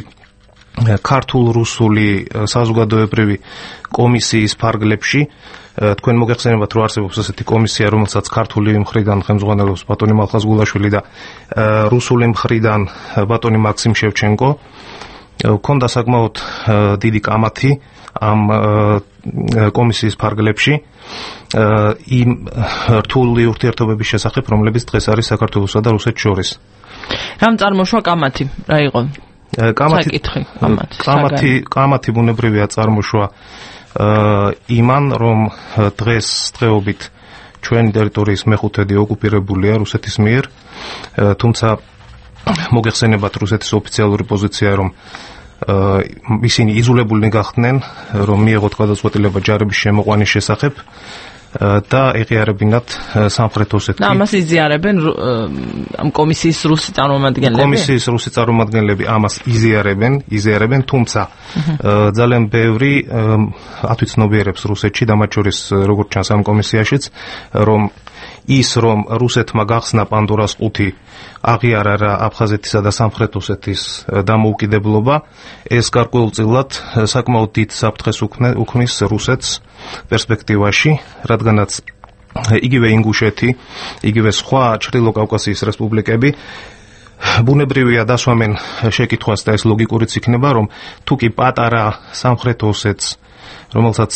ქართულ-რუსული საზოგადოებრივი კომისიის ფარგლებში. თქვენ მოგეხსენებათ, რომ არსებობს ასეთი კომისია, რომელსაც ქართული მხრიდან ხელმძღვანელობს ბატონი მალხაზ გულაშვილი და რუსული მხრიდან ბატონი მაქსიმ შევჩენკო. ქონდა საკმაოდ დიდი კამათი ამ კომისიის ფარგლებში იმ რთული ურთიერთობების შესახებ, რომლებიც დღეს არის საქართველოსა და რუსეთს შორის. რამ წარმოშვა კამათი? რა იყო? კამათი კამათი კამათი ბუნებრივია წარმოშვა იმან, რომ დღეს დღეობით ჩვენი ტერიტორიის მეხუთედი ოკუპირებულია რუსეთის მიერ, თუმცა მოგეხსენებათ რუსეთის ოფიციალური პოზიცია, რომ ისინი იზოლებულნი გახდნენ, რომ მიეღოთ გადაწყვეტილება ჯარების შემოყვანის შესახებ და ეღიარებინათ სამხრეთ ოსეთში. და ამას იზიარებენ ამ კომისიის რუსი წარმომადგენლები? კომისიის რუსი წარმომადგენლები ამას იზიარებენ, იზიარებენ, თუმცა ძალიან ბევრი ათვიცნობიერებს რუსეთში და მათ შორის როგორც ჩანს ამ კომისიაშიც, რომ ის რომ რუსეთმა გახსნა პანდორას ყუთი აღიარა რა აფხაზეთისა და სამხრეთ ოსეთის დამოუკიდებლობა, ეს გარკვეულწილად საკმაოდ დიდ საფრთხეს უქმნის რუსეთს პერსპექტივაში, რადგანაც იგივე ინგუშეთი, იგივე სხვა ჩრდილო კავკასიის რესპუბლიკები ბუნებრივია დასვამენ შეკითხვას და ეს ლოგიკურიც იქნება, რომ თუ კი პატარა სამხრეთ ოსეთს, რომელსაც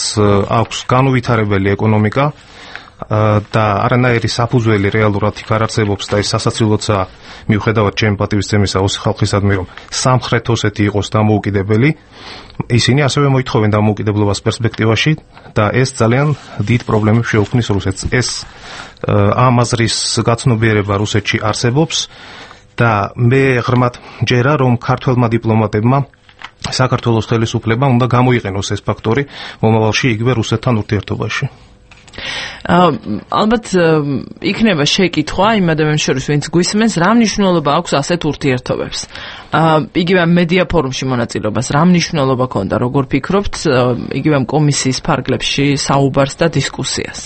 აქვს განუვითარებელი ეკონომიკა და არანაირი საფუძველი რეალურად იქ არ არსებობს და ეს სასაცილოა მიუხედავად ჩემი პატივისცემისა ოსი ხალხისადმი, რომ სამხრეთ ოსეთი იყოს დამოუკიდებელი, ისინი ასევე მოითხოვენ დამოუკიდებლობას პერსპექტივაში და ეს ძალიან დიდ პრობლემებს შეუქმნის რუსეთს. ეს ამ აზრის გაცნობიერება რუსეთში არსებობს და მე ღრმად მჯერა, რომ ქართველმა დიპლომატებმა საქართველოს ხელისუფლება უნდა გამოიყენოს ეს ფაქტორი მომავალში იგივე რუსეთთან ურთიერთობაში. ალბათ იქნება შეკითხვა იმ ადამიანებს შორის, ვინც გვისმენს, რა მნიშვნელობა აქვს ასეთ ურთიერთობებს. იგივე მედია ფორუმში მონაწილეობას რა მნიშვნელობა ქონდა, როგორ ფიქრობთ, იგივე კომისიის ფარგლებში საუბარს და დისკუსიას?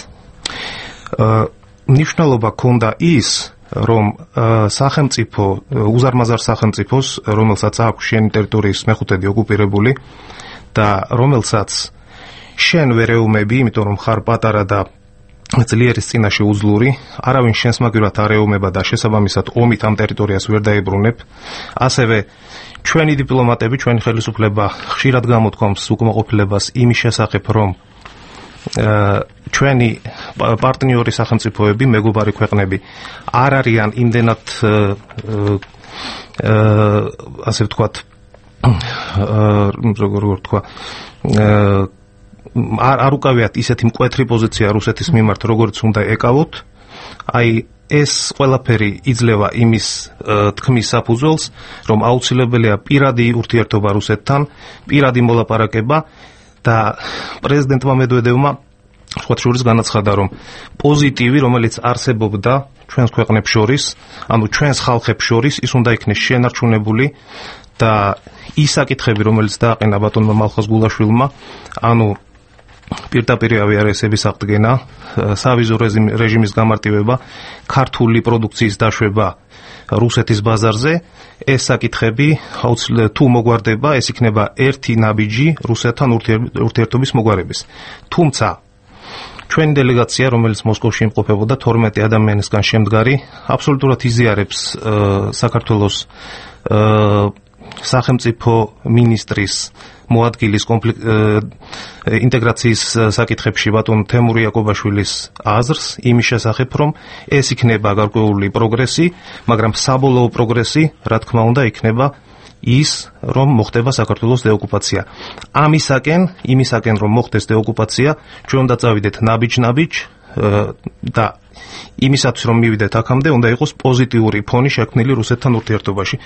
მნიშვნელობა ქონდა ის, რომ სახელმწიფო, უზარმაზარ სახელმწიფოს, რომელსაც აქვს შენი ტერიტორიის მეხუთედი ოკუპირებული და რომელსაც შენ ვერ ეუმები, იმიტომ რომ ხარ პატარა და ძლიერის წინაშე უძლური, არავინ შენს მაგივრად არ ეუმება და შესაბამისად ომით ამ ტერიტორიას ვერ დაებრუნებ. ასევე ჩვენი დიპლომატები, ჩვენი ხელისუფლება ხშირად გამოთქვამს უკმაყოფილებას იმის შესახებ, რომ ჩვენი პარტნიორი სახელმწიფოები, მეგობარი ქვეყნები არ არიან იმდენად ასე ვთქვათ, როგორ ვთქვა, არ არ უკავიათ ისეთი მკვეთრი პოზიცია რუსეთის მიმართ, როგორც უნდა ეკავოთ. აი ეს ყველაფერი იძლევა იმის თქმის საფუძველს, რომ აუცილებელია პირადი ურთიერთობა რუსეთთან, პირადი მოლაპარაკება და პრეზიდენტმა მედვედევმა სხვა შორის განაცხადა, რომ პოზიტივი, რომელიც არსებობდა ჩვენს ქვეყნებს შორის, ანუ ჩვენს ხალხებს შორის, ის უნდა იქნეს შენარჩუნებული და ის საკითხები, რომელიც დააყენა ბატონმა მალხაზ გულაშვილმა, ანუ პირდაპირი ავიარესების აღდგენა, სავიზო რეჟიმის გამარტივება, ქართული პროდუქციის დაშვება რუსეთის ბაზარზე, ეს საკითხები თუ მოგვარდება, ეს იქნება ერთი ნაბიჯი რუსეთთან ურთიერთობის მოგვარების. თუმცა ჩვენი დელეგაცია, რომელიც მოსკოვში იმყოფებოდა თორმეტი ადამიანისგან შემდგარი, აბსოლუტურად იზიარებს საქართველოს სახელმწიფო მინისტრის მოადგილის ინტეგრაციის საკითხებში ბატონ თემურ იაკობაშვილის აზრს იმის შესახებ, რომ ეს იქნება გარკვეული პროგრესი, მაგრამ საბოლოო პროგრესი, რა თქმა უნდა, იქნება ის, რომ მოხდება საქართველოს დეოკუპაცია. ამისაკენ, იმისაკენ, რომ მოხდეს დეოკუპაცია, ჩვენ უნდა წავიდეთ ნაბიჯ-ნაბიჯ და იმისათვის, რომ მივიდეთ აქამდე, უნდა იყოს პოზიტიური ფონი შექმნილი რუსეთთან ურთიერთობაში.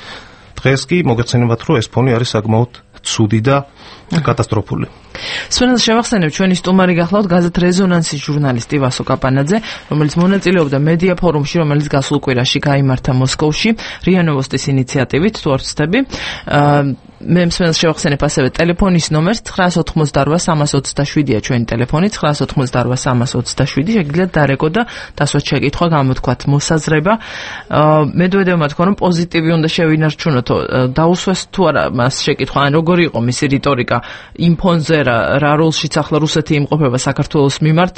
დღეს კი მოგეცემათ, რომ ეს ფონი არის საკმაოდ ცუდი და კატასტროფული. სვენელს შევახსენებ, ჩვენი სტუმარი გახლავთ გაზეთ რეზონანსის ჟურნალისტი ვასო კაპანაძე, რომელიც მონაწილეობდა მედია ფორუმში, რომელიც გასულ კვირაში გაიმართა მოსკოვში, რია ნოვოსტის ინიციატივით, თუ არ ვცდები. მე მსმენელს შევახსენებ ასევე ტელეფონის ნომერს ცხრაას ოთხმოცდარბა სამას ოცდაშვიდია ჩვენი ტელეფონი, ცხრაას ოთხმოცდარბა სამას ოცდაშვიდი, შეგიძლიათ დარეკო და დასვათ შეკითხვა, გამოთქვათ მოსაზრება. მედვედევმა თქვა, რომ პოზიტივი უნდა შევინარჩუნოთ, დაუსვეს თუ არა მას შეკითხვა, ან როგორი იყო მისი რიტორიკა იმ ფონზე, რა როლშიც ახლა რუსეთი იმყოფება საქართველოს მიმართ,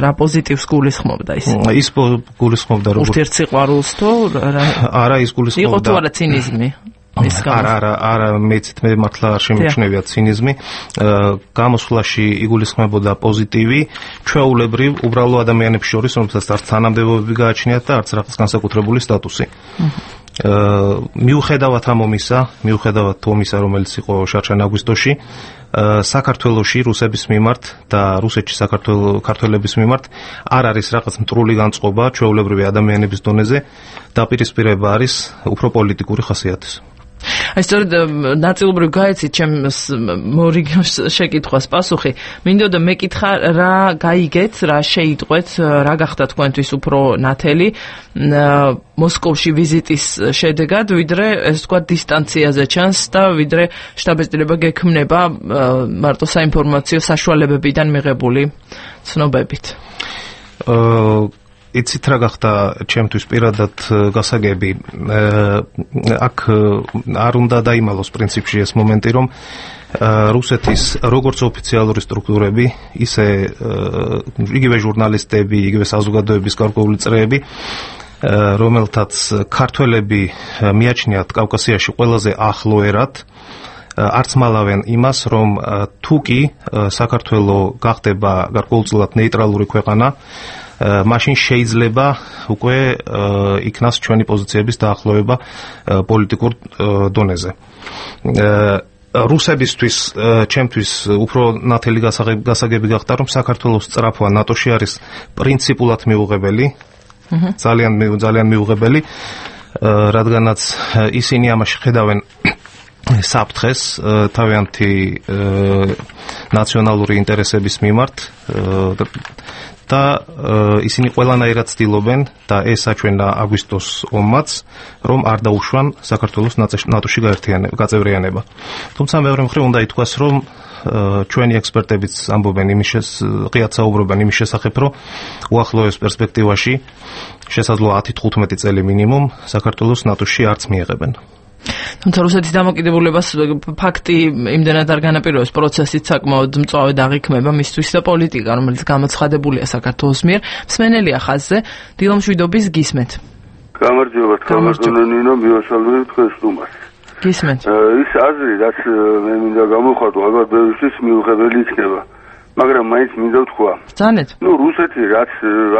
რა პოზიტივს გულისხმობდა ის? ის გულისხმობდა როგორც ურთიერთსიყვარულს თუ არა, ის გულისხმობდა იყო თუ არა ცინიზმი? არა, არა, არა, მეც მე მართლა არ შემიჩნევია ცინიზმი. გამოსვლაში იგულისხმებოდა პოზიტივი, ჩვეულებრივ უბრალო ადამიანებს შორის, რომელსაც არც თანამდებობები გააჩნიათ და არც რაღაც განსაკუთრებული სტატუსი. მიუხედავად ამ ომისა, მიუხედავად ომისა, რომელიც იყო შარშან აგვისტოში, საქართველოში რუსების მიმართ და რუსეთში საქართველოს მიმართ არ არის რაღაც მტრული განწყობა ჩვეულებრივი ადამიანების დონეზე, დაპირისპირება არის უფრო პოლიტიკური ხასიათის. აი სწორედ ნაწილობრივ გაეცით ჩემს მორიგოს შეკითხვას პასუხი. მინდოდა მეკითხა რა გაიგეთ, რა შეიტყვეთ, რა გახდა თქვენთვის უფრო ნათელი მოსკოვში ვიზიტის შედეგად, ვიდრე ეს თქვა დისტანციაზე ჩანს და ვიდრე შტაბ-ბინა გექმნება მარტო საინფორმაციო საშუალებებიდან მიღებული ცნობებით. აა იცით რა გახდა ჩემთვის პირადად გასაგები აქ არ უნდა დაიმალოს პრინციპში ეს მომენტი რომ რუსეთის როგორც ოფიციალური სტრუქტურები ისე იგივე ჟურნალისტები იგივე საზოგადოების გარკვეული წრეები რომელთაც ქართველები მიაჩნიათ კავკასიაში ყველაზე ახლო ერად არც მალავენ იმას რომ თუ კი საქართველო გახდება გარკვეულწილად ნეიტრალური ქვეყანა მაშინ შეიძლება უკვე იქნას ჩვენი პოზიციების დაახლოვება პოლიტიკურ დონეზე. რუსებისთვის ჩემთვის უფრო ნათელი გასაგები გახდა რომ საქართველოს სწრაფვა ნატოში არის პრინციპულად მიუღებელი, ძალიან ძალიან მიუღებელი, რადგანაც ისინი ამაში ხედავენ საფრთხეს თავიანთი ნაციონალური ინტერესების მიმართ და ისინი ყველანაირად ცდილობენ და ეს აჩვენა აგვისტოს ომმაც რომ არ დაუშვან საქართველოს ნატოში გაწევრიანება. თუმცა მეორე მხრივ უნდა ითქვას რომ ჩვენი ექსპერტებიც ამბობენ იმის ღიად საუბრობენ იმის შესახებ რომ უახლოეს პერსპექტივაში შესაძლოა ათი თხუთმეტი წელი მინიმუმ საქართველოს ნატოში არც მიიღებენ. თუმცა რუსეთის დამოკიდებულებას ფაქტი იმდენად არ განაპირობებს პროცესით საკმაოდ მწვავე დაღიქმება მისთვის და პოლიტიკა რომელიც გამოცხადებულია საქართველოს მიერ მსმენელია ხაზზე დილა მშვიდობის გისმენთ. გამარჯობა თქმა ნინო მივასალმებ თქვენ სტუმარს. გისმენთ. ის აზრი რაც მე მინდა გამოვხატო ალბათ ბევრისთვის მიუღებელი იქნება მაგრამ მაინც მინდა ვთქვა. ზანეთ. ნუ რუსეთი რაც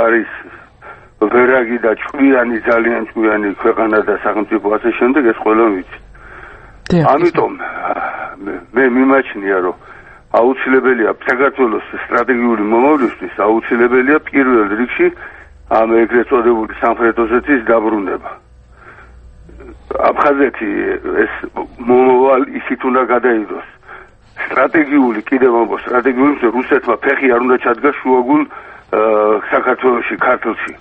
არის ვერაგი და ჭკვიანი ძალიან ჭკვიანი ქვეყანა და სახელმწიფო ასე შემდეგ ეს ყველა ვიცი. ამიტომ მე მიმაჩნია რომ აუცილებელია საქართველოს სტრატეგიული მომავლისთვის აუცილებელია პირველ რიგში ამ ეგრეთ წოდებული სამხრეთ ოსეთის დაბრუნება. აფხაზეთი ეს მომავალ ისიც უნდა გადაიდოს. სტრატეგიული კიდევ ამბობ სტრატეგიული რუსეთმა ფეხი არ უნდა ჩადგას შუაგულ საქართველოში ქართლში.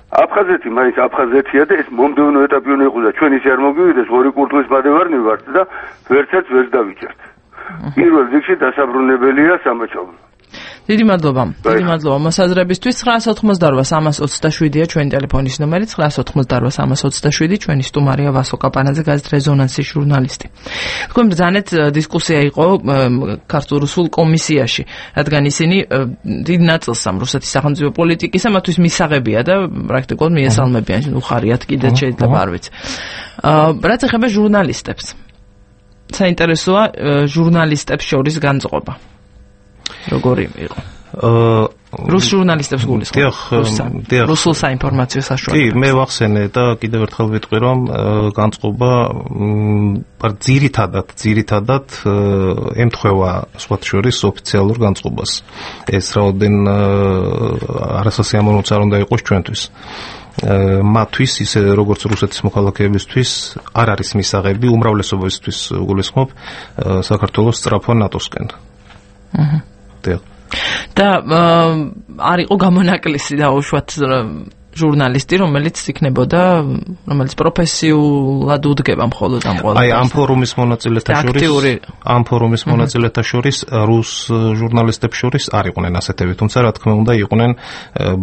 აფხაზეთი მაინც აფხაზეთია და ეს მომდევნო ეტაპი უნდა იყოს და ჩვენ ისე არ მოგივიდეს ორი კურთხის მადევარნი ვართ და ვერცერთ ვერ დავიჭერთ. პირველ რიგში დასაბრუნებელია სამაჩაბლო. დიდი მადლობა. დიდი მადლობა მოსაზრებისთვის. ცხრაას ოცდაოთხმოცდაორვა სამას ოცდაშვიდია ჩვენი ტელეფონის ნომერი ცხრაას ოცდაოთხმოცდაორვა სამას ოცდაშვიდი ჩვენი სტუმარია ვასო კაპანაძე გაზეთ რეზონანსის ჟურნალისტი. თქვენ ბრძანეთ დისკუსია იყო ქართულ-რუსულ კომისიაში, რადგან ისინი დიდ ნაწილს ამ რუსეთის სახელმწიფო პოლიტიკისა მათთვის მისაღებია და პრაქტიკულად მიესალმებიან, უხარიათ კიდეც შეიძლება არ ვიცი. რაც ეხება ჟურნალისტებს. საინტერესოა ჟურნალისტებს შორის განწყობა. როგორი იყო? აა რუს ჟურნალისტებს გულისხმობ. რუსულ საინფორმაციო საშუალებებს. კი, მე ვახსენე და კიდევ ერთხელ ვიტყვი რომ განწყობა ძირითადად, ძირითადად ემთხვევა სხვათა შორის ოფიციალურ განწყობას. ეს რაოდენ არასასიამოვნოც არ უნდა იყოს ჩვენთვის. მათთვის ისე როგორც რუსეთის მოქალაქეებისთვის არ არის მისაღები უმრავლესობისთვის გულისხმობ საქართველოს სწრაფვა ნატოსკენ. აჰა. და არ იყო გამონაკლისი დაუშვათ ჟურნალისტი, რომელიც იქნებოდა, რომელიც პროფესიულად უდგება მხოლოდ ამ ყოველდღეს. აი, ამ ფორუმის მონაწილეთა შორის, ამ ფორუმის მონაწილეთა შორის რუს ჟურნალისტებს შორის არ იყვნენ ასეთები, თუმცა რა თქმა უნდა იყვნენ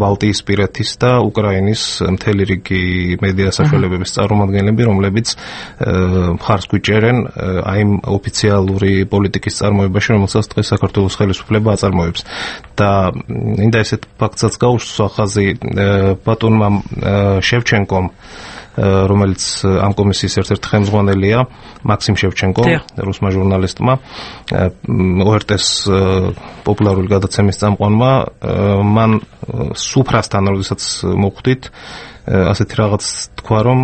ბალტიის პირეთის და უკრაინის მთელი რიგი მედია საშუალებების წარმომადგენლები, რომლებიც მხარს გვიჭერენ აი ამ ოფიციალური პოლიტიკის წარმოებაში, რომელსაც დღეს საქართველოს ხელისუფლება აწარმოებს. და მინდა ესეთ ფაქტსაც გაუსვა ხაზი ბატონმა შევჩენკომ, რომელიც ამ კომისიის ერთ-ერთი ხელმძღვანელია, მაქსიმ შევჩენკომ, რუსმა ჟურნალისტმა, O R T-ს პოპულარული გადაცემის წამყვანმა, მან სუფრასთან, როდესაც მოხვდით, ასეთი რაღაც თქვა, რომ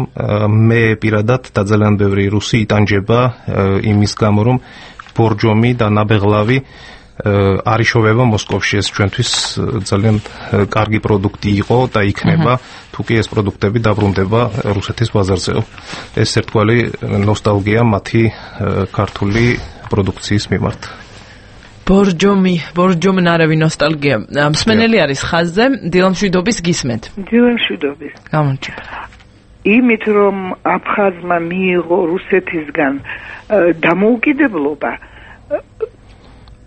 მე პირადად და ძალიან ბევრი რუსი იტანჯება იმის გამო, რომ ბორჯომი და ნაბეღლავი არიშოვება მოსკოვში ეს ჩვენთვის ძალიან კარგი პროდუქტი იყო და იქნება თუ კი ეს პროდუქტები დაბრუნდება რუსეთის ბაზარზეო. ეს ერთგვარი ნოსტალგია მათი ქართული პროდუქციის მიმართ. ბორჯომი, ბორჯომნარევი ნოსტალგია. მსმენელი არის ხაზზე, დილამშვიდობის გისმენთ. დილამშვიდობის. გამარჯობა. იმით რომ აფხაზმა მიიღო რუსეთისგან დამოუკიდებლობა,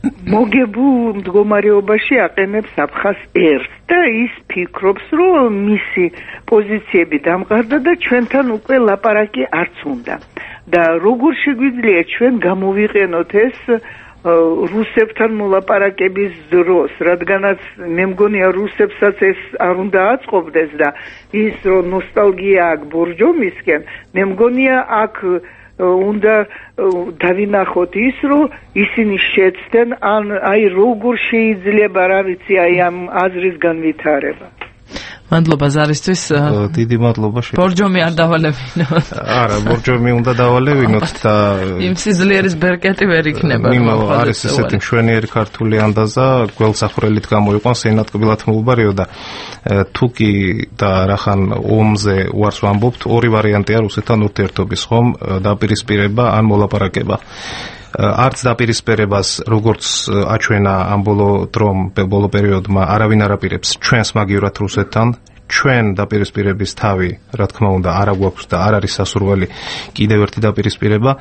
მოგებულ მდგომარეობაში აყენებს აფხაზ ერს და ის ფიქრობს, რომ მისი პოზიციები დამყარდა და ჩვენთან უკვე ლაპარაკი არც უნდა. და როგორ შეგვიძლია ჩვენ გამოვიყენოთ ეს რუსებთან მოლაპარაკების დროს, რადგანაც მე მგონია რუსებსაც ეს არ უნდა აწყობდეს და ის რომ ნოსტალგია აქვს ბორჯომისკენ, მე მგონია აქ უნდა დავინახოთ ის, რომ ისინი შეცდნენ, ან აი როგორ შეიძლება, რა ვიცი, აი ამ აზრის განვითარება. მადლობა ზარისთვის. დიდი მადლობა. ბორჯომი არ დავალევინოთ. არა, ბორჯომი უნდა დავალევინოთ და იმ სიძლიერის ბერკეტი ვერ იქნება. იმავე არის ესეთი მშვენიერი ქართული ანდაზა, გველსახვრელით გამოიყვანს ენატკბილად მოუბარიო და თუკი და რახან ომზე უარს ვამბობთ, ორი ვარიანტია რუსეთთან ურთიერთობის, ხომ, დაპირისპირება ან მოლაპარაკება. არც დაპირისპირებას როგორც აჩვენა ამ ბოლო დრომ ბოლო პერიოდმა არავინ არ აპირებს ჩვენს მაგივრად რუსეთთან, ჩვენ დაპირისპირების თავი რა თქმა უნდა არ აგვაქვს და არ არის სასურველი კიდევ ერთი დაპირისპირება,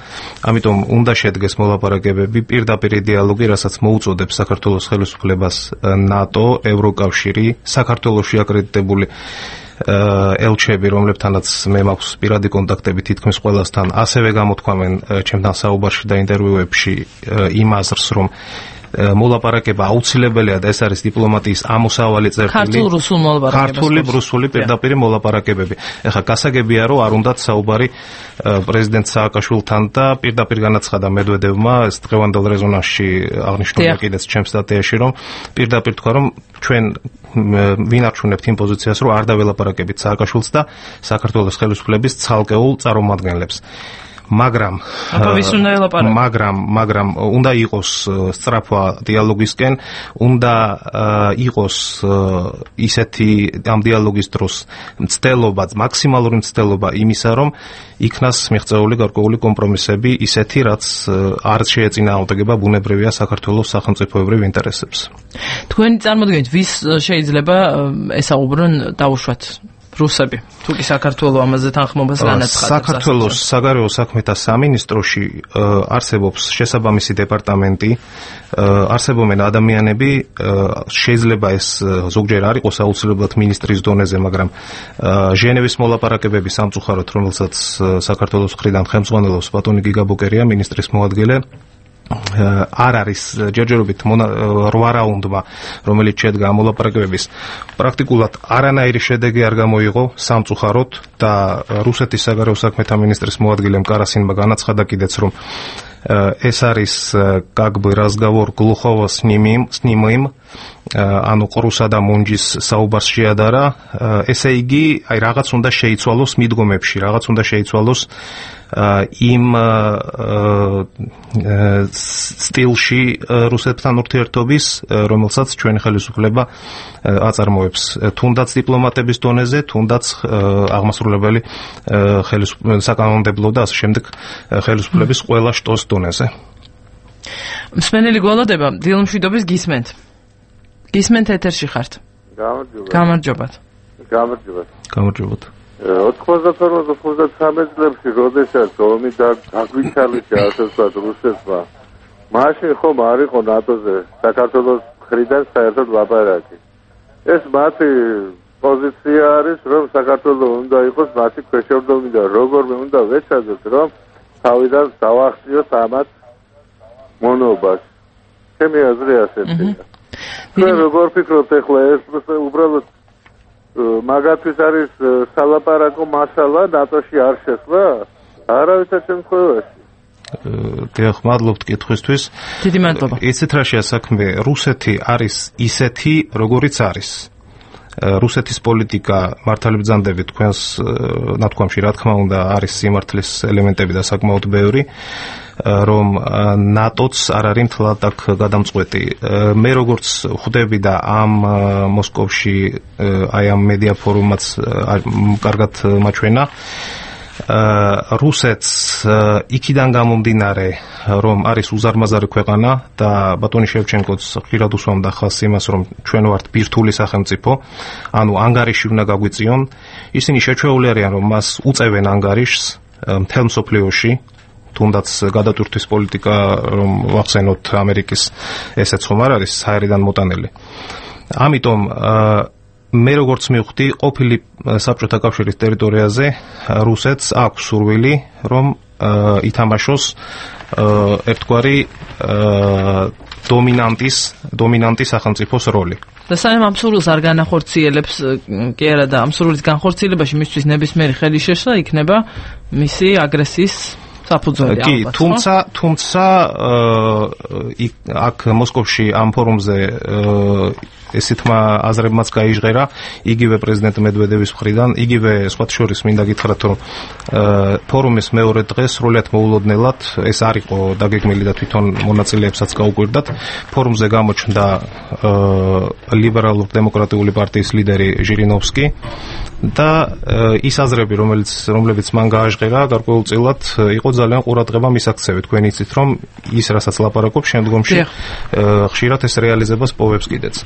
ამიტომ უნდა შედგეს მოლაპარაკებები, პირდაპირ დიალოგი, რასაც მოუწოდებს საქართველოს ხელისუფლებას ნატო, ევროკავშირი, საქართველოში აკრედიტებული ელჩები, რომლებთანაც მე მაქვს პირადი კონტაქტები თითქმის ყველასთან, ასევე გამოთქვამენ ჩემთან საუბარში და ინტერვიუებში იმ აზრს, რომ მოლაპარაკება აუცილებელია და ეს არის დიპლომატიის ამოსავალი წერტილი. ქართულ-რუსულ მოლაპარაკებები. ქართული-რუსული პირდაპირ მოლაპარაკებები. ეხლა გასაგებია, რომ არ უნდათ საუბარი პრეზიდენტ სააკაშვილთან და პირდაპირ განაცხადა მედვედევმა ეს დღევანდელ რეზონანსში აღნიშნულია კიდეც ჩემს სტატიაში, რომ პირდაპირ თქვა, რომ ჩვენ ვინარჩუნებთ იმ პოზიციას, რომ არ დაველაპარაკებით სააკაშვილს და საქართველოს ხელისუფლების ცალკეულ წარმომადგენლებს. მაგრამ მაგრამ მაგრამ უნდა იყოს სწრაფვა დიალოგისკენ, უნდა იყოს ისეთი ამ დიალოგის დროს მცდელობა, მაქსიმალური მცდელობა იმისა, რომ იქნას მიღწეული გარკვეული კომპრომისები, ისეთი, რაც არ შეეწინააღმდეგება ბუნებრივია საქართველოს სახელმწიფოებრივ ინტერესებს. თქვენი წარმოდგენით, ვის შეიძლება ესაუბრონ დაუშვათ რუსები, თუ კი საქართველოს ამაზე თანხმობას განაცხადებს. საქართველოს საგარეო საქმეთა სამინისტროში არსებობს შესაბამისი დეპარტამენტი, არსებობენ ადამიანები, შეიძლება ეს ზოგჯერ არ იყოს აუცილებლად მინისტრის დონეზე, მაგრამ ჟენევის მოლაპარაკებების სამწუხაროდ, რომელსაც საქართველოს მხრიდან ხელმძღვანელობს ბატონი გიგა ბოკერია, მინისტრის მოადგილე, არ არის ჯერჯერობით რვა რაუნდმა, რომელიც შედგა მოლაპარაკებების, პრაქტიკულად არანაირი შედეგი არ გამოიღო სამწუხაროდ და რუსეთის საგარეო საქმეთა მინისტრის მოადგილემ კარასინმა განაცხადა კიდეც, რომ ეს არის как бы разговор глухого с немым, с немым, ანუ ყრუსა და მუნჯის საუბარს შეადარა, ესე იგი, აი რაღაც უნდა შეიცვალოს მიდგომებში, რაღაც უნდა შეიცვალოს იმ სტილში რუსეთთან ურთიერთობის, რომელსაც ჩვენი ხელისუფლება აწარმოებს, თუნდაც დიპლომატების დონეზე, თუნდაც აღმასრულებელი საკანონმდებლო და ასე შემდეგ ხელისუფლების ყველა შტოს დონეზე. მსმენელი გველოდება, დილამშვიდობის გისმენთ. გისმენთ ეთერში ხართ. გამარჯობა. გამარჯობათ. გამარჯობათ. გამარჯობათ. ოთხმოცდათორე ოცდათვრამეტ წლებში, როდესაც ომი დაგვიჩალიშა, ასე ვთქვათ, რუსეთმა, მაშინ ხომ არ იყო ნატოზე საქართველოს მხრიდან საერთოდ ლაპარაკი. ეს მათი პოზიცია არის, რომ საქართველოს უნდა იყოს მათი ქვეშევრდომი და როგორმე უნდა ვეცადოთ, რომ თავიდან დავახციოთ ამათ მონობას. ჩემი აზრი ასეთია. თქვენ როგორ ფიქრობთ ახლა ეს უბრალოდ მაგათთვის არის სალაპარაკო მასალა ნატოში არ შესვლა? არავითარ შემთხვევაში. დიახ, მადლობთ კითხვისთვის. დიდი მადლობა. იცით რა შეა საქმე, რუსეთი არის ისეთი, როგორიც არის. რუსეთის პოლიტიკა მართალბრძანდებით თქვენს ნათქვამში რა თქმა უნდა არის სიმართლის ელემენტები და საკმაოდ ბევრი. რომ ნატოც არ არის მთლად აქ გადამწყვეტი. მე როგორც ხვდები და ამ მოსკოვში აი ამ მედია ფორუმაც კარგად მაჩვენა, რუსეთს იქიდან გამომდინარე, რომ არის უზარმაზარი ქვეყანა და ბატონი შევჩენკოც ხშირად უსვამდა ხაზს იმას, რომ ჩვენ ვართ ბირთვული სახელმწიფო, ანუ ანგარიში უნდა გაგვიწიონ, ისინი შეჩვეული არიან, რომ მას უწევენ ანგარიშს მთელ მსოფლიოში, თუნდაც გადატვირთვის პოლიტიკა, რომ ვახსენოთ ამერიკის ესეც ხომ არ არის საერიდან მოტანილი. ამიტომ მე როგორც მივხვდი, ყოფილი საბჭოთა კავშირის ტერიტორიაზე რუსეთს აქვს სურვილი, რომ ითამაშოს ერთგვარი დომინანტის დომინანტის სახელმწიფოს როლი. და სანამ ამ სურვილს არ განახორციელებს, კი არა და ამ სურვილის განხორციელებაში მისთვის ნებისმიერი ხელი შეშლა იქნება მისი აგრესიის საფუძველი. კი, თუმცა თუმცა აქ მოსკოვში ამ ფორუმზე ესეთმა აზრებმაც გაიჟღერა იგივე პრეზიდენტ მედვედევის მხრიდან, იგივე სხვათა შორის მინდა გითხრათ, რომ ფორუმის მეორე დღეს სრულიად მოულოდნელად ეს არ იყო დაგეგმილი და თვითონ მონაწილეებსაც გაუკვირდათ. ფორუმზე გამოჩნდა ლიბერალურ დემოკრატიული პარტიის ლიდერი ჟირინოვსკი და ის აზრები, რომელიც რომლებიც მან გააჟღერა, გარკვეულწილად იყო ძალიან ყურადღება მისაქცევი. თქვენ იცით, რომ ის რასაც ლაპარაკობს, შემდგომში ხშირად ეს რეალიზებას პოვებს კიდეც.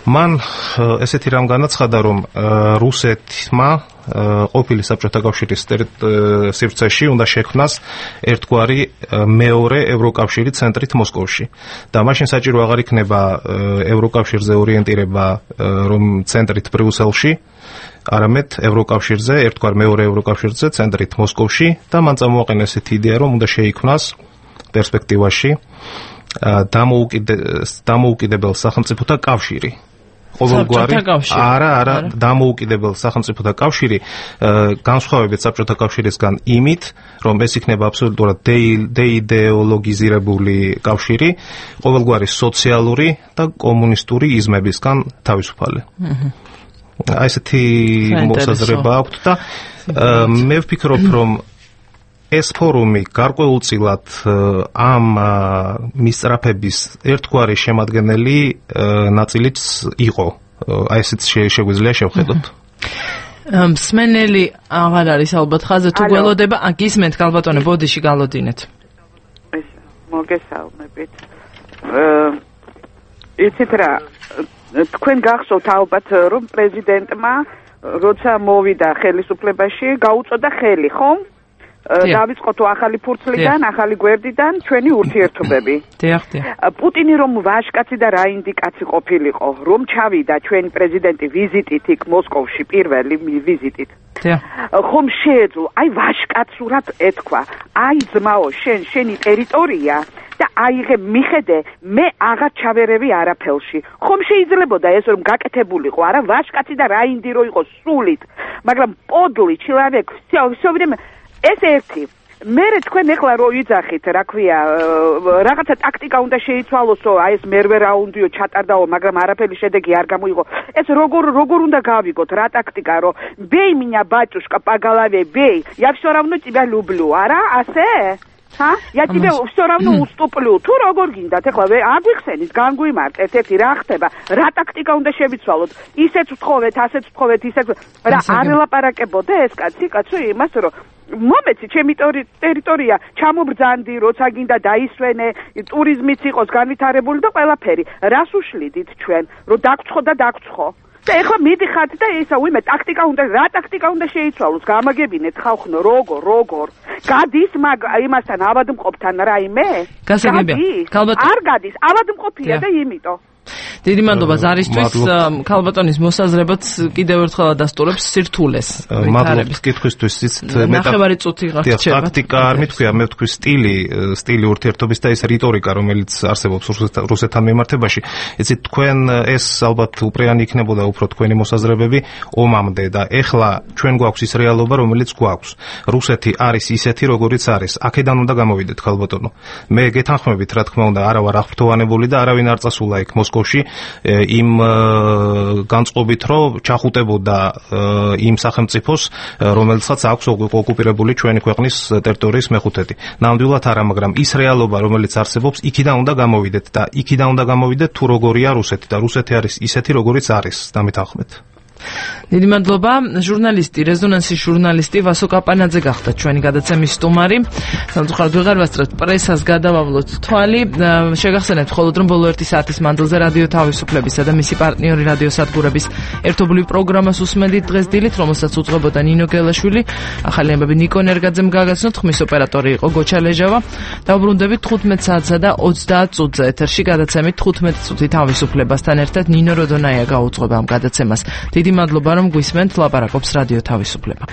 მან ესეთი რამ განაცხადა, რომ რუსეთმა ყოფილი საბჭოთა კავშირის სივრცეში უნდა შექმნას ერთგვარი მეორე ევროკავშირი ცენტრით მოსკოვში. და მაშინ საჭირო აღარ იქნება ევროკავშირზე ორიენტირება, რომ ცენტრით ბრიუსელში, არამედ ევროკავშირზე, ერთგვარ მეორე ევროკავშირზე, ცენტრით მოსკოვში და მან წამოაყენა ესეთი იდეა, რომ უნდა შეიქმნას პერსპექტივაში დამოუკიდებელ სახელმწიფოთა კავშირი. ყოველგვარი არა, არა, დამოუკიდებელ სახელმწიფოთა კავშირი, განსხვავებით საბჭოთა კავშირისგან იმით, რომ ეს იქნება აბსოლუტურად დეიდეოლოგიზირებული კავშირი, ყოველგვარი სოციალური და კომუნისტური იზმებისგან თავისუფალი. აი ესეთი მოსაზრება აქვს და მე ვფიქრობ, რომ ეს ფორუმი გარკვეულწილად ამ მისწრაფების ერთგვარი შემადგენელი ნაწილიც იყო. აი ესეც შეგვიძლია შევხედოთ. მსმენელი აღარ არის ალბათ ხაზე თუ გველოდება, გისმენთ გალბატონე, ბოდიში გალოდინეთ. ეს მოგესალმებით. იცით რა, თქვენ გახსოვთ ალბათ, რომ პრეზიდენტმა როცა მოვიდა ხელისუფლებაში, გაუწოდა ხელი, ხომ? დავიწყოთ ახალი ფურცლიდან, ახალი გვერდიდან ჩვენი ურთიერთობები. პუტინი რომ ვაჟკაცი და რაინდი კაცი ყოფილიყო, რომ ჩავიდა ჩვენი პრეზიდენტი ვიზიტით იქ მოსკოვში, პირველი ვიზიტით. ხომ შეეძლო, აი ვაჟკაცურად ეთქვა, აი ძმაო, შენ შენი ტერიტორია და აიღე მიხედე, მე აღარ ჩავერევი არაფელში. ხომ შეიძლებოდა ეს რომ გაკეთებულიყო, არა ვაჟკაცი და რაინდი რო იყო სულით, მაგრამ პოდლი ჩილავეკ, всё время ეს ერთი. მერე თქვენ ეხლა რო იძახით, რა ქვია, რაღაცა ტაქტიკა უნდა შეიცვალოსო, აი ეს მერვე რაუნდიო ჩატარდაო, მაგრამ არაფერი შედეგი არ გამოიღო. ეს როგორ როგორ უნდა გავიგოთ რა ტაქტიკა, რომ бей меня, батюшка, по голове, бей. Я всё равно тебя люблю, არა? ასე? ხა? Я тебе всё равно уступлю. თუ როგორ გინდათ, ეხლა აგვიხსენით, განგვიმარტეთ, ერთი რა ხდება? რა ტაქტიკა უნდა შევიცვალოთ? ისეც ვთხოვეთ, ასეც ვთხოვეთ, ისეც რა არ ელაპარაკებოდა ეს კაცი, კაცო, იმას რომ მომეცი ჩემი ტერიტორია ჩამობრძანდი, როცა გინდა დაისვენე, ტურიზმიც იყოს განვითარებული და ყველაფერი. რას უშლიდით ჩვენ, რომ დაგცხო და დაგცხო? და ეხლა მიდიხართ და ისა უიმე ტაქტიკა უნდა, რა ტაქტიკა უნდა შეიცვალოს? გამაგებინეთ ხალხო, როგორ, როგორ? გადის მაგ იმასთან ავადმყოფთან რაიმე? გასაგებია. არ გადის, ავადმყოფია და იმიტომ. დიდი მადლობა ზარისთვის, ქალბატონის მოსაზრებაც კიდევ ერთხელ დასტურებს სირთულეს. მადლობა კითხვისთვის, იცით, ნახევარი წუთი გაგრჩება. ტაქტიკა არ მithქვია, მე ვთქვი სტილი, სტილი ურთიერთობის და ეს რიტორიკა, რომელიც არსებობს რუსეთთან მიმართებაში. იცით, თქვენ ეს ალბათ უპრეანი იქნებოდა უფრო თქვენი მოსაზრებები ომამდე და ეხლა ჩვენ გვაქვს ის რეალობა, რომელიც გვაქვს. რუსეთი არის ისეთი, როგორიც არის. აქედან უნდა გამოვიდეთ, ქალბატონო. მე გეთანხმებით, რა თქმა უნდა, არა ვარ აღფრთოვანებული და არავინ არ წასულა იქ მოსკოვში იმ განწყობით, რომ ჩახუტებოდა იმ სახელმწიფოს, რომელსაც აქვს ოკუპირებული ჩვენი ქვეყნის ტერიტორიის მეხუთედი. ნამდვილად არა, მაგრამ ის რეალობა, რომელიც არსებობს, იქიდან უნდა გამოვიდეთ და იქიდან უნდა გამოვიდეთ თუ როგორია რუსეთი და რუსეთი არის ისეთი, როგორიც არის. დამით ახმედ. დიდი მადლობა. ჟურნალისტი, რეზონანსის ჟურნალისტი ვასო კაპანაძე გახდა ჩვენი გადაცემის სტუმარი. სამწუხაროდ ვეღარ ვასწრებთ პრესას, გადავავლოთ თვალი. შეგახსენებთ მხოლოდ რომ ბოლო ერთი საათის მანძილზე რადიო თავისუფლებისა და მისი პარტნიორი რადიო სადგურების ერთობლივ პროგრამას უსმენდით დღეს დილით, რომელსაც უძღვებოდა ნინო გელაშვილი. ახალი ამბები ნიკო ნერგაძემ გაგაცნოთ, ხმის ოპერატორი იყო გოჩა ლეჟავა. დავბრუნდებით თხუთმეტ საათსა და ოცდაათ წუთზე ეთერში გადაცემით თხუთმეტი წუთი თავისუფლებასთან ერთად ნინო როდონაია გაუძღვება ამ გადაცემას. დიდი მადლობა რომ გვისმენთ, ლაპარაკობს რადიო თავისუფლება.